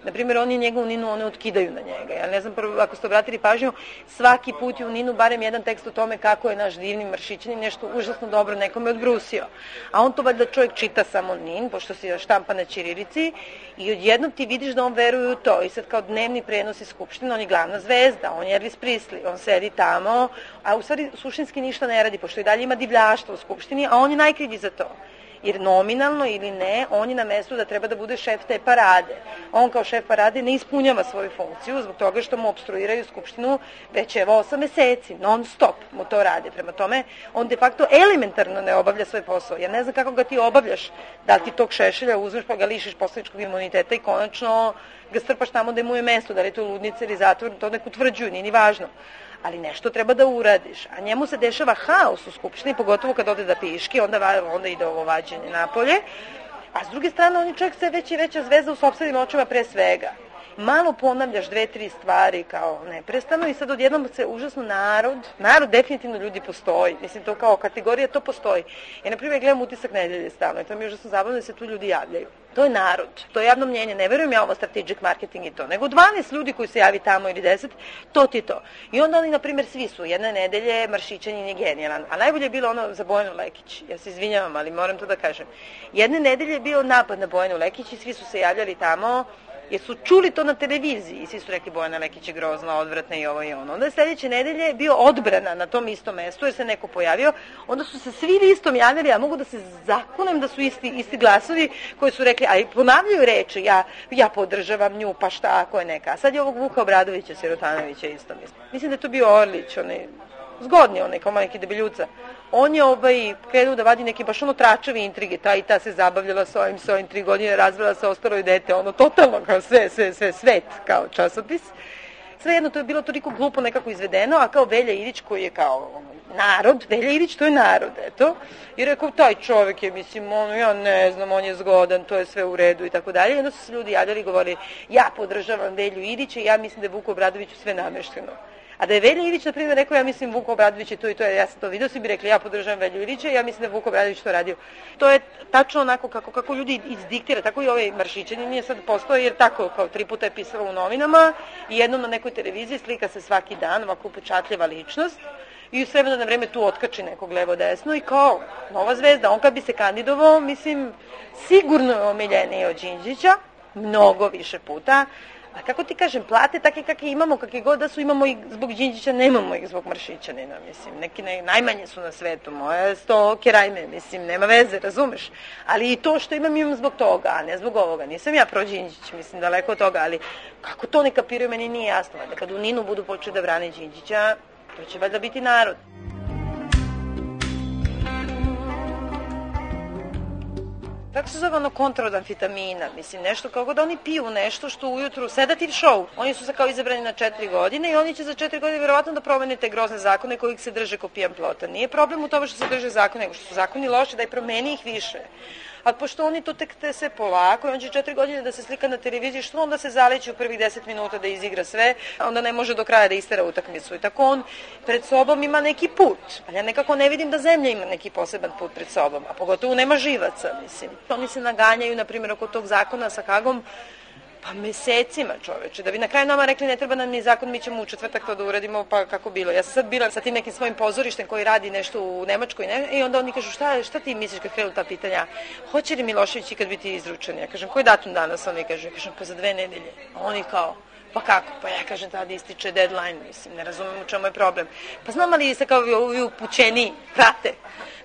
Naprimjer, oni njegovu Ninu, one otkidaju na njega. Ja ne znam, prvo, ako ste obratili pažnju, svaki put je u Ninu barem jedan tekst o tome kako je naš divni Maršićanin nešto užasno dobro nekome odbrusio. A on to valjda čovjek čita samo Nin, pošto se štampa na ćirilici, i odjednom ti vidiš da on veruje u to. I sad kao dnevni prenos iz Skupštine, on je glavna zvezda, on je Elvis Presley, on sedi tamo, a u stvari suštinski ništa ne radi, pošto i dalje ima divljaštvo u Skupštini, a on je najkrivlji za to. Jer nominalno ili ne, on je na mestu da treba da bude šef te parade. On kao šef parade ne ispunjava svoju funkciju zbog toga što mu obstruiraju Skupštinu već evo osam meseci, non stop mu to rade. Prema tome, on de facto elementarno ne obavlja svoj posao. Ja ne znam kako ga ti obavljaš, da li ti tog Šešelja uzmeš pa ga lišiš poslaničkog imuniteta i konačno ga strpaš tamo da mu je mesto, da li je to ludnica ili zatvor, to nek utvrđuju, nije ni važno. Ali nešto treba da uradiš, a njemu se dešava haos u Skupštini, pogotovo kad ode da piški, onda, onda ide ovo vađenje napolje, a s druge strane on je čovjek sve veća i veća zvezda u sopstvenim očima pre svega. Malo ponavljaš dve, tri stvari kao neprestano i sad odjednom se užasno narod, narod definitivno ljudi postoji, mislim to kao kategorija to postoji. Ja na primjer gledam Utisak nedelje stalno i to mi je užasno zabavno da se tu ljudi javljaju. To je narod, to je javno mnjenje, ne verujem ja ovo strategic marketing i to, nego dvanaest ljudi koji se javi tamo ili deset, to ti to. I onda oni, na primjer, svi su, jedne nedelje Maršićanin je genijalan, a najbolje je bilo ono za Bojanu Lekić, ja se izvinjavam, ali moram to da kažem. Jedne nedelje je bio napad na Bojanu Lekić i svi su se javljali tamo, jer su čuli to na televiziji i svi su rekli Bojana Lekić je grozna, odvratna i ovo i ono. Onda je sljedeće nedelje je bio odbrana na tom istom mestu jer se neko pojavio. Onda su se svi listom javljali, a mogu da se zakunem da su isti, isti glasovi koji su rekli, ali ponavljaju reči, ja, ja podržavam nju, pa šta ako je neka. A sad je ovog Vuka Obradovića, Sirotanovića isto mislim. Mislim da je to bio Orlić, onaj zgodni onaj kao majki debeljuca. On je ovaj krenuo da vadi neke baš ono tračevi intrige, ta i ta se zabavljala s ovim, s ovim tri godine, razvela se, ostalo i dete, ono totalno kao sve, sve, sve, svet kao časopis. Svejedno to je bilo toliko glupo nekako izvedeno, a kao Velja Ilić koji je kao narod, Velja Ilić to je narod, eto. I rekao, taj čovjek je, mislim, ono, ja ne znam, on je zgodan, to je sve u redu i tako dalje. I onda su se ljudi javljali i govorili, ja podržavam Velju Ilića i ja mislim da je Vuku Obradoviću sve namešteno. A da je Velja Ilić, na primjer, rekao, ja mislim Vuko Obradović je to i to, ja sam to vidio, svi bi rekli, ja podržavam Velju Ilića i ja mislim da je Vuko Obradović to radio. To je tačno onako kako, kako ljudi izdiktira, tako i ovaj Maršićanin nije sad postoji, jer tako kao tri puta je pisalo u novinama i jednom na nekoj televiziji slika se svaki dan, ovako upečatljiva ličnost i s vremena na vreme tu otkači nekog levo desno i kao nova zvezda, on kad bi se kandidovao, mislim, sigurno je omiljeniji od Đinđića, mnogo više puta. A kako ti kažem, plate takve kakve imamo, kakve god da su, imamo ih zbog Đinđića, nemamo ih zbog Maršićanina, mislim, neki ne, najmanje su na svetu, moje sto kerajme, mislim, nema veze, razumeš, ali i to što imam imam zbog toga, a ne zbog ovoga, nisam ja pro Đinđić, mislim, daleko od toga, ali kako to ne kapiraju, meni nije jasno, da kad u Ninu budu počeli da brane Đinđića, to će valjda biti narod. Kako se zove ono kontra od amfitamina, mislim, nešto kako da oni piju nešto što ujutru, sedative show. Oni su se kao izabrani na četiri godine i oni će za četiri godine vjerovatno da promene te grozne zakone kojih se drže ko pijan plota. Nije problem u tome što se drže zakone, nego što su zakoni loši, da i promeni ih više. Ali pošto oni to tek te sve polako i on će četiri godine da se slika na televiziji, što onda se zaleći u prvih deset minuta da izigra sve, onda ne može do kraja da istera utakmicu. I tako on pred sobom ima neki put. Ali ja nekako ne vidim da zemlja ima neki poseban put pred sobom, a pogotovo nema živaca, mislim. Oni se naganjaju, na primjer, oko tog zakona sa Hagom, pa mesecima, čoveče, da bi na kraju nama rekli ne treba nam ni zakon, mi ćemo u četvrtak to da uradimo, pa kako bilo. Ja sam sad bila sa tim nekim svojim pozorištem koji radi nešto u Nemačkoj ne? I onda oni kažu šta, šta ti misliš kad krenu ta pitanja, hoće li Milošević ikad biti izručen? Ja kažem, koji datum danas? Oni kažu, ja kažem, pa za dve nedelje. A oni kao, pa kako? Pa ja kažem, tada ističe deadline, mislim, ne razumem u čemu je problem. Pa znam ali ste kao vi upućeni, prate.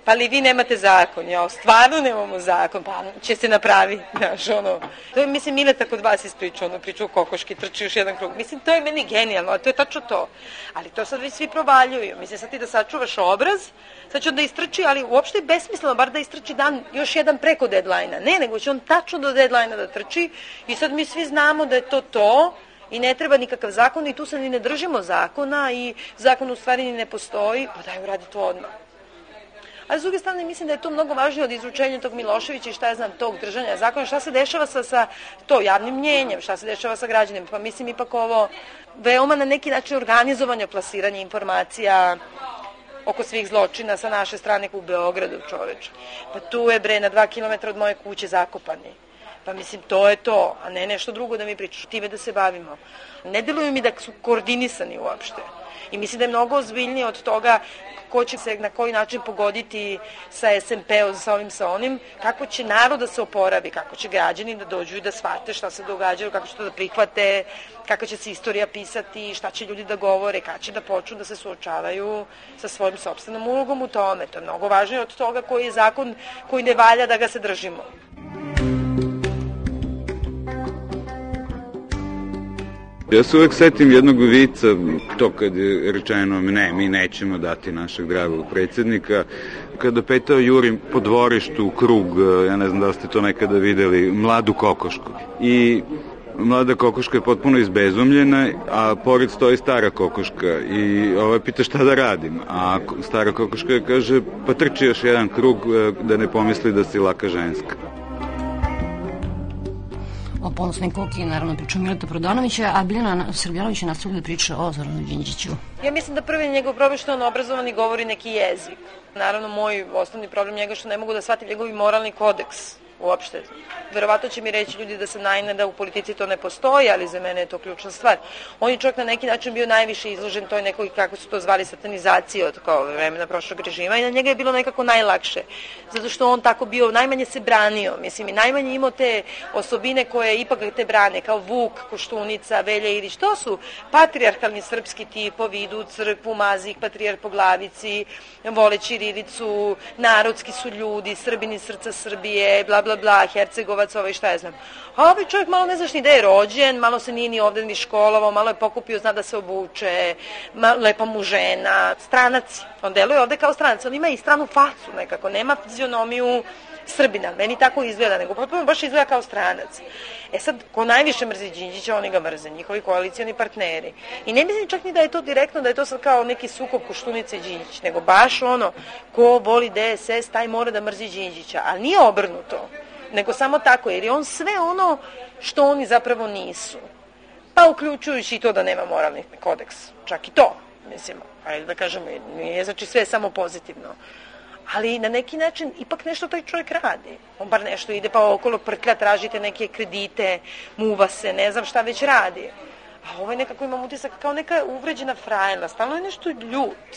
Pa li vi nemate zakon? Ja, stvarno nemamo zakon, pa će se napravi, znaš, ono. To je, mislim, Mileta kod vas ispričao, ono, pričao o kokoški, trči još jedan krug. Mislim, to je meni genijalno, to je tačno to. Ali to sad već svi provaljuju. Mislim, sad ti da sačuvaš obraz, sad će on da istrči, ali uopšte je besmisleno, bar da istrči dan, još jedan preko deadline-a. Ne, nego će on tačno do deadline-a da trči i sad mi svi znamo da je to to, i ne treba nikakav zakon i tu se ni ne držimo zakona i zakon u stvari ni ne postoji, pa daj uradi to odmah. Ali s druge strane mislim da je to mnogo važnije od izručenja tog Miloševića i šta ja znam, tog držanja zakona, šta se dešava sa, sa to javnim mnjenjem, šta se dešava sa građanima. Pa mislim ipak ovo veoma na neki način organizovanje, plasiranje informacija oko svih zločina sa naše strane u Beogradu, čoveče. Pa tu je bre na dva kilometra od moje kuće zakopani. Pa mislim, to je to, a ne nešto drugo da mi pričaš, time da se bavimo. Ne deluju mi da su koordinisani uopšte. I mislim da je mnogo ozbiljnije od toga ko će se na koji način pogoditi sa es en pe-om, sa ovim, sa onim, kako će narod da se oporavi, kako će građani da dođu i da shvate šta se događaju, kako će to da prihvate, kako će se istorija pisati, šta će ljudi da govore, kada će da počnu da se suočavaju sa svojim sopstvenom ulogom u tome. To je mnogo važnije od toga koji je zakon koji ne valja da ga se držimo. Ja se uvek setim jednog vica, to kad je rečeno ne, mi nećemo dati našeg dragog predsjednika, kada petao Jurim po dvorištu u krug, ja ne znam da ste to nekada videli, mladu kokošku. I mlada kokoška je potpuno izbezumljena, a pored stoji stara kokoška i ova pita šta da radim, a stara kokoška kaže pa trči još jedan krug da ne pomisli da si laka ženska. O ponosnoj koki, naravno, pričao Mileta Prodanovića, a Biljana Srbljanović je nastavila da priča o Zoranu Đinđiću. Ja mislim da prvi njegov problem što on obrazovan i govori neki jezik. Naravno, moj osnovni problem njega što ne mogu da shvatim njegovi moralni kodeks uopšte. Verovatno će mi reći ljudi da se najne da u politici to ne postoji, ali za mene je to ključna stvar. On je čovjek na neki način bio najviše izložen toj nekoj, kako su to zvali, satanizaciji od kao vremena prošlog režima i na njega je bilo nekako najlakše. Zato što on tako bio, najmanje se branio, mislim, i najmanje imao te osobine koje ipak te brane, kao Vuk, Koštunica, Velja Ilić. To su patrijarhalni srpski tipovi, idu u crkvu, mazi ih patrijarh po glavici, vole ćirilicu, narodski su ljudi, Srbini srca Srbije, bla bla bla, Hercegovac, ovaj šta ja znam. A ovaj čovjek malo ne znaš ni da je rođen, malo se nije ni ovdje ni školovao, malo je pokupio, zna da se obuče, lepa mu žena, stranac. On deluje ovdje kao stranac, on ima i stranu facu nekako, nema fizionomiju Srbina, meni tako izgleda, nego potpuno baš izgleda kao stranac. E sad, ko najviše mrzi Đinđića, oni ga mrze, njihovi koalicijani partneri. I ne mislim čak ni da je to direktno, da je to sad kao neki sukob Koštunice i Đinđić, nego baš ono, ko voli de es es, taj mora da mrzi Đinđića, ali nije obrnuto, nego samo tako, jer je on sve ono što oni zapravo nisu. Pa uključujući i to da nema moralni kodeks, čak i to, mislim, ajde da kažemo, nije znači sve samo pozitivno. Ali na neki način ipak nešto taj čovjek radi. On bar nešto ide pa okolo prklja, tražite neke kredite, muva se, ne znam šta već radi. A ovaj nekako imam utisak kao neka uvređena frajla, stalno je nešto ljut.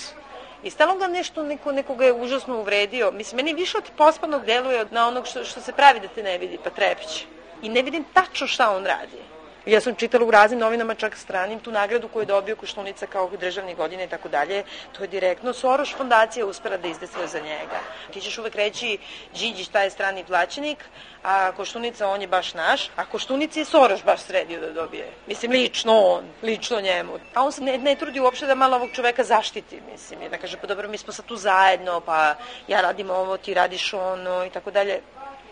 I stalno ga nešto, neko, nekoga je užasno uvredio. Mislim, meni više od pospadnog deluje od na onog što, što se pravi da te ne vidi, pa trepiće. I ne vidim tačno šta on radi. Ja sam čitala u raznim novinama, čak stranim, tu nagradu koju je dobio Koštunica kao državnih godina i tako dalje. To je direktno Soros fondacija uspela da izdesuje za njega. Ti ćeš uvek reći Đinđić taj je strani plaćenik, a Koštunica on je baš naš, a Koštunici je Soros baš sredio da dobije. Mislim, lično on, lično njemu. A on se ne, ne trudi uopšte da malo ovog čoveka zaštiti, mislim, i da kaže, pa dobro, mi smo sad tu zajedno, pa ja radim ovo, ti radiš ono i tako dalje.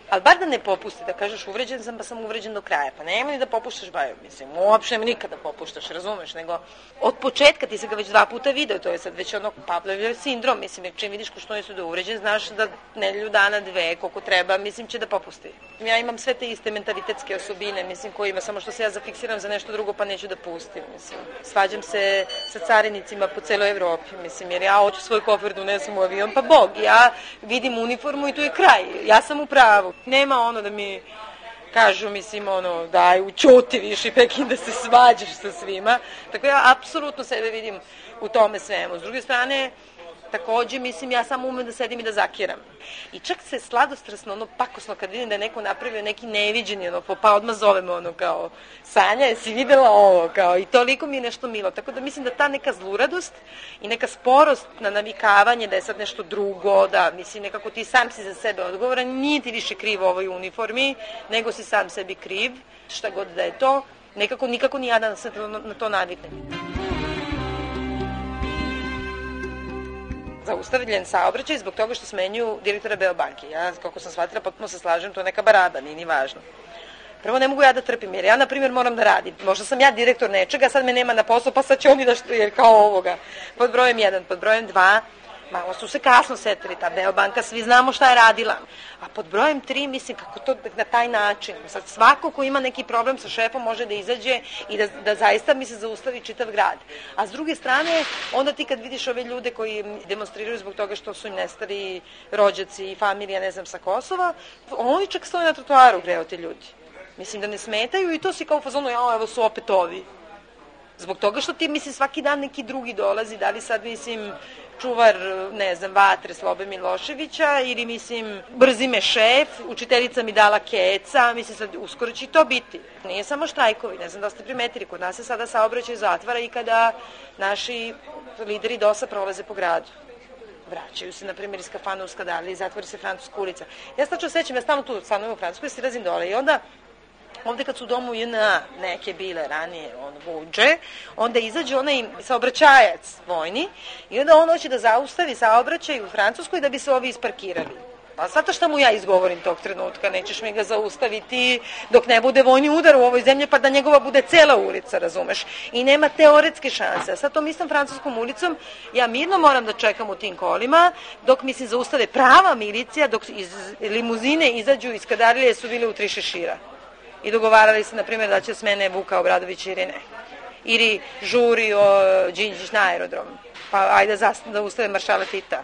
Ali bar da ne popusti, da kažeš uvređen sam, pa sam uvređen do kraja. Pa nema ni da popuštaš baju, mislim, uopšte nema nikada da popuštaš, razumeš, nego od početka ti se ga već dva puta video, to je sad već ono Pavlovljev sindrom, mislim, jer čim vidiš ko što su da uvređen, znaš da nedelju dana, dve, koliko treba, mislim, će da popusti. Ja imam sve te iste mentalitetske osobine, mislim, koje ima, samo što se ja zafiksiram za nešto drugo, pa neću da pustim, mislim. Svađam se sa carinicima po celoj Evropi, mislim, jer ja hoću svoj kofer da unesem u avion, pa Bog, ja vidim uniformu i tu je kraj, ja sam u pravu. Nema ono da mi kažu, mislim, ono, daj, učuti više, Pekin, da se svađaš sa svima. Tako ja apsolutno sebe vidim u tome svemu. S druge strane, takođe, mislim, ja samo umem da sedim i da zakiram. I čak se sladostrasno, ono, pakosno, kad vidim da je neko napravio neki neviđeni, ono, pa odmah zovem, ono, kao, Sanja, jesi videla ovo, kao, i toliko mi je nešto milo. Tako da mislim da ta neka zluradost i neka sporost na navikavanje da je sad nešto drugo, da, mislim, nekako ti sam si za sebe odgovoran, nije ti više kriv u ovoj uniformi, nego si sam sebi kriv, šta god da je to, nekako, nikako ni ja da se na to naviknem. Zaustavljen saobraćaj zbog toga što smenjuju direktora Beobanke. Ja, kako sam shvatila, potpuno se slažem, to je neka baraba, nije ni važno. Prvo, ne mogu ja da trpim, jer ja, na primjer, moram da radim. Možda sam ja direktor nečega, sad me nema na poslu, pa sad će oni da što, jer kao ovoga. Pod brojem jedan, pod brojem dva, malo su se kasno setili, ta Beobanka, svi znamo šta je radila. A pod brojem tri, mislim, kako to na taj način. Sad svako ko ima neki problem sa šefom može da izađe i da, da zaista mi se zaustavi čitav grad. A s druge strane, onda ti kad vidiš ove ljude koji demonstriraju zbog toga što su im nestali rođaci i familija, ne znam, sa Kosova, oni čak stoje na trotoaru, greo te ljudi. Mislim da ne smetaju i to si kao u fazonu, ja, evo su opet ovi. Zbog toga što ti, mislim, svaki dan neki drugi dolazi, da li sad, mislim, čuvar, ne znam, vatre Slobe Miloševića ili, mislim, brzi me šef, učiteljica mi dala keca, mislim, sad uskoro će to biti. Nije samo štrajkovi, ne znam da ste primetili, kod nas se sada saobraćaj zatvara i kada naši lideri dosa prolaze po gradu. Vraćaju se, na primjer, iz kafana u Skadali, zatvori se Francuska ulica. Ja se tačno sećam, ja stalno tu stanujem u Francuskoj, silazim dole i onda ovde kad su u domu J N A neke bile ranije, on vuđe, onda izađe onaj saobraćajac vojni i onda on hoće da zaustavi saobraćaj u Francuskoj da bi se ovi isparkirali. Pa zato što mu ja izgovorim tog trenutka, nećeš mi ga zaustaviti dok ne bude vojni udar u ovoj zemlji, pa da njegova bude cela ulica, razumeš? I nema teoretske šanse. A sad tom istom francuskom ulicom ja mirno moram da čekam u tim kolima, dok mi se zaustave prava milicija, dok iz limuzine izađu iz Kadarilije su bile u tri šešira. I dogovarali se, na primjer, da će smene Vuka Obradović ili ne. Ili žuri o Đinđić na aerodrom. Pa ajde da ustave maršala Tita.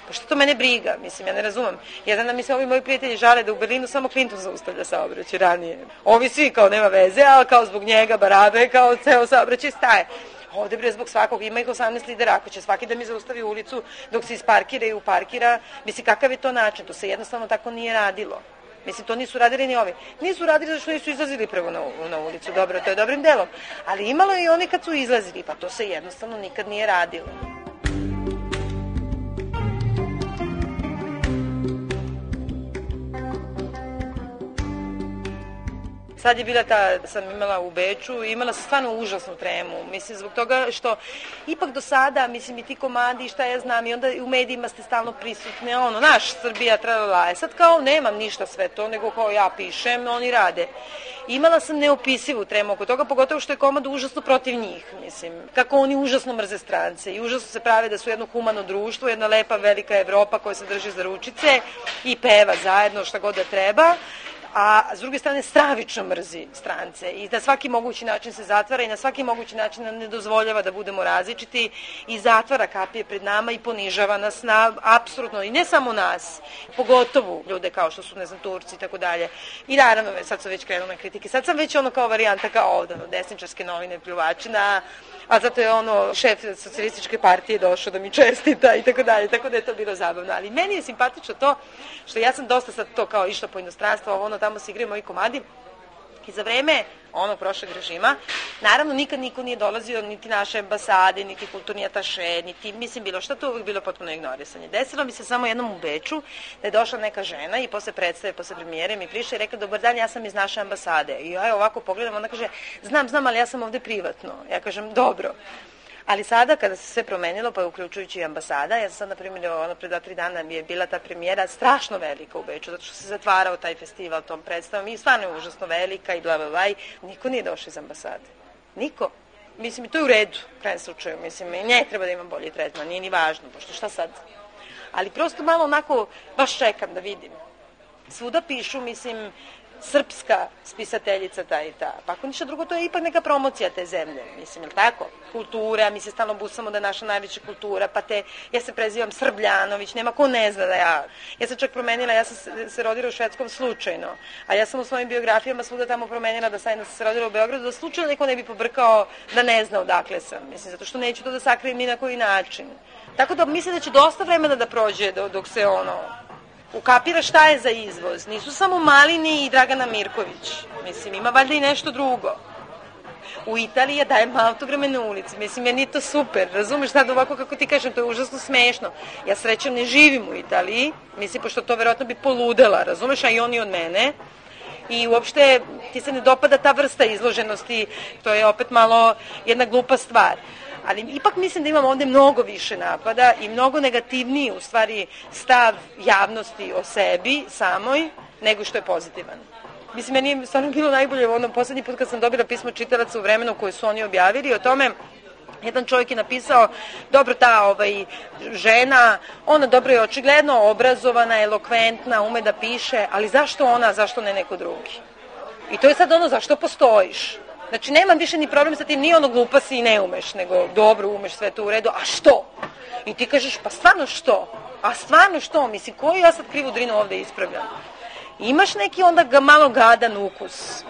Pa što to mene briga? Mislim, ja ne razumem. Ja znam da mi se ovi moji prijatelji žale da u Berlinu samo Clinton zaustavlja saobraćaj ranije. Ovi svi kao nema veze, ali kao zbog njega, barabe, kao ceo saobraćaj staje. Ovde bre zbog svakog, ima ih osamnaest lidera, ako će svaki da mi zaustavi ulicu dok se isparkira i uparkira, mislim, kakav je to način? To se jednostavno tako nije radilo. Mislim, to nisu radili ni ovi. Nisu radili zato što nisu izlazili prvo na, na ulicu, dobro, to je dobrim delom. Ali imalo je i oni kad su izlazili, pa to se jednostavno nikad nije radilo. Sad je bila ta, sam imala u Beču, imala sam stvarno užasnu tremu, mislim, zbog toga što ipak do sada, mislim, i ti komandi, šta ja znam, i onda u medijima ste stalno prisutne, ono, naš Srbija, tralala, sad kao nemam ništa sve to, nego kao ja pišem, oni rade. Imala sam neopisivu tremu oko toga, pogotovo što je komanda užasno protiv njih, mislim, kako oni užasno mrze strance i užasno se prave da su jedno humano društvo, jedna lepa velika Evropa koja se drži za ručice i peva zajedno šta god da treba, a s druge strane stravično mrzi strance i da svaki mogući način se zatvara i na svaki mogući način nam ne dozvoljava da budemo različiti i zatvara kapije pred nama i ponižava nas na apsolutno, i ne samo nas, pogotovo ljude kao što su, ne znam, Turci i tako dalje. I naravno, sad su već krenule kritike, sad sam već ono kao varijanta kao ovdje, desničarske novine pljuvačina, a zato je ono šef socijalističke partije došao da mi čestita i tako dalje, tako da je to bilo zabavno. Ali meni je simpatično to što ja sam dosta sad to kao išla po inostranstvu, ono tamo se igraju moji komadi i za vreme onog prošlog režima, naravno nikad niko nije dolazio, niti naše ambasade, niti kulturni ataše, niti, mislim, bilo što, to uvijek bilo potpuno ignorisanje. Desilo mi se samo jednom u Beču da je došla neka žena i posle predstave, posle premijere mi prišla i rekla, dobar dan, ja sam iz naše ambasade. I ja ovako pogledam, ona kaže, znam, znam, ali ja sam ovde privatno. Ja kažem, dobro. Ali sada kada se sve promenilo, pa uključujući i ambasada, ja sam sad, na primjer, ono pre dva, tri dana mi je bila ta premijera strašno velika u Beču, zato što se zatvarao taj festival tom predstavom i stvarno je užasno velika i bla, bla, bla, i niko nije došao iz ambasade. Niko. Mislim, i to je u redu, u krajem slučaju. Mislim, ne treba da imam bolji tretman, nije ni važno, pošto šta sad? Ali prosto malo onako, baš čekam da vidim. Svuda pišu, mislim, srpska spisateljica ta i ta. Pa ako ništa drugo, to je ipak neka promocija te zemlje. Mislim, je li tako? Kultura, mi se stalno busamo da je naša najveća kultura, pa te, ja se prezivam Srbljanović, nema ko ne zna da ja. Ja sam čak promenila, ja sam se rodila u Švedskom slučajno, a ja sam u svojim biografijama svuda tamo promenila da sam se rodila u Beogradu, da slučajno neko ne bi pobrkao da ne zna odakle sam. Mislim, zato što neću to da sakrijem ni na koji način. Tako da mislim da će dosta vremena da prođe dok se ono ukapira šta je za izvoz. Nisu samo Malini i Dragana Mirković. Mislim, ima valjda i nešto drugo. U Italiji je dajem autograme na ulici. Mislim, meni je to super. Razumeš sad ovako kako ti kažem, to je užasno smešno. Ja srećom ne živim u Italiji. Mislim, pošto to verovatno bi poludela, razumeš, a i oni od mene. I uopšte ti se ne dopada ta vrsta izloženosti. To je opet malo jedna glupa stvar. Ali ipak mislim da imamo ovde mnogo više napada i mnogo negativniji u stvari stav javnosti o sebi samoj nego što je pozitivan. Mislim, meni je stvarno bilo najbolje u onom poslednji put kad sam dobila pismo čitalaca u vremenu koje su oni objavili o tome. Jedan čovjek je napisao, dobro, ta ovaj, žena, ona dobro je očigledno obrazovana, elokventna, ume da piše, ali zašto ona, zašto ne neko drugi? I to je sad ono, zašto postojiš? Znači, nemam više ni problem sa tim, nije ono glupa si i ne umeš, nego dobro umeš, sve to u redu, a što? I ti kažeš, pa stvarno što? A stvarno što? Mislim, koju ja sad krivu drinu ovde ispravljam? Imaš neki onda ga malo gadan ukus.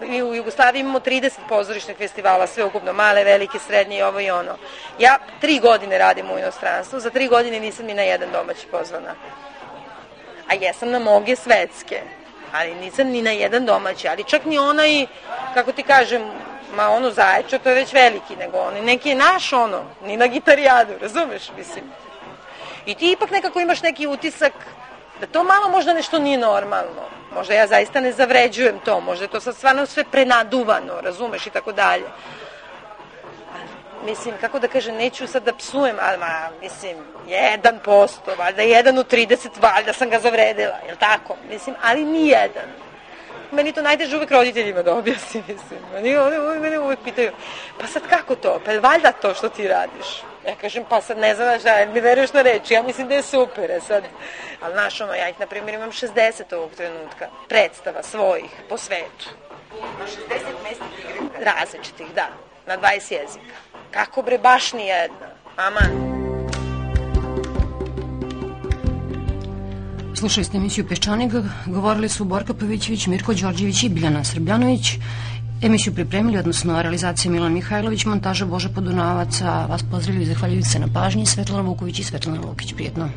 Mi u Jugoslaviji imamo trideset pozorišnih festivala, sve ukupno, male, velike, srednje i ovo i ono. Ja tri godine radim u inostranstvu, za tri godine nisam ni na jedan domaći pozvana. A jesam na mnoge svetske. Ali nisam ni na jedan domaći, ali čak ni onaj, kako ti kažem, ma ono Zaječar, to je već veliki, nego on neki je naš ono, ni na Gitarijadu, razumeš, mislim. I ti ipak nekako imaš neki utisak da to malo možda nešto nije normalno, možda ja zaista ne zavređujem to, možda je to sad stvarno sve prenaduvano, razumeš, i tako dalje. Mislim, kako da kažem, neću sad da psujem, ali, ma, mislim, jedan posto, valjda jedan u trideset, valjda sam ga zavredila, jel tako? Mislim, ali ni jedan. Meni to najteže uvek roditeljima da objasnim, mislim. Oni, oni, oni mene uvek pitaju, pa sad kako to? Pa je valjda to što ti radiš? Ja kažem, pa sad ne znam šta, mi veruješ na reči, ja mislim da je super, je sad. Ali znaš, ono, ja ih, na primjer, imam šezdeset ovog trenutka, predstava svojih, po svetu. Na šezdeset mesta igre? Različitih, da, na dvadeset jezika. Kako bre, baš ni jedna. Aman. Slušali ste emisiju Peščanik, govorili su Borka Pavićević, Mirko Đorđević i Biljana Srbljanović. Emisiju pripremili, odnosno realizacija Milan Mihajlović, montaža Boža Podunavac, a vas pozdravili i zahvaljujući se na pažnji Svetlana Vuković i Svetlana Lukić. Prijetno.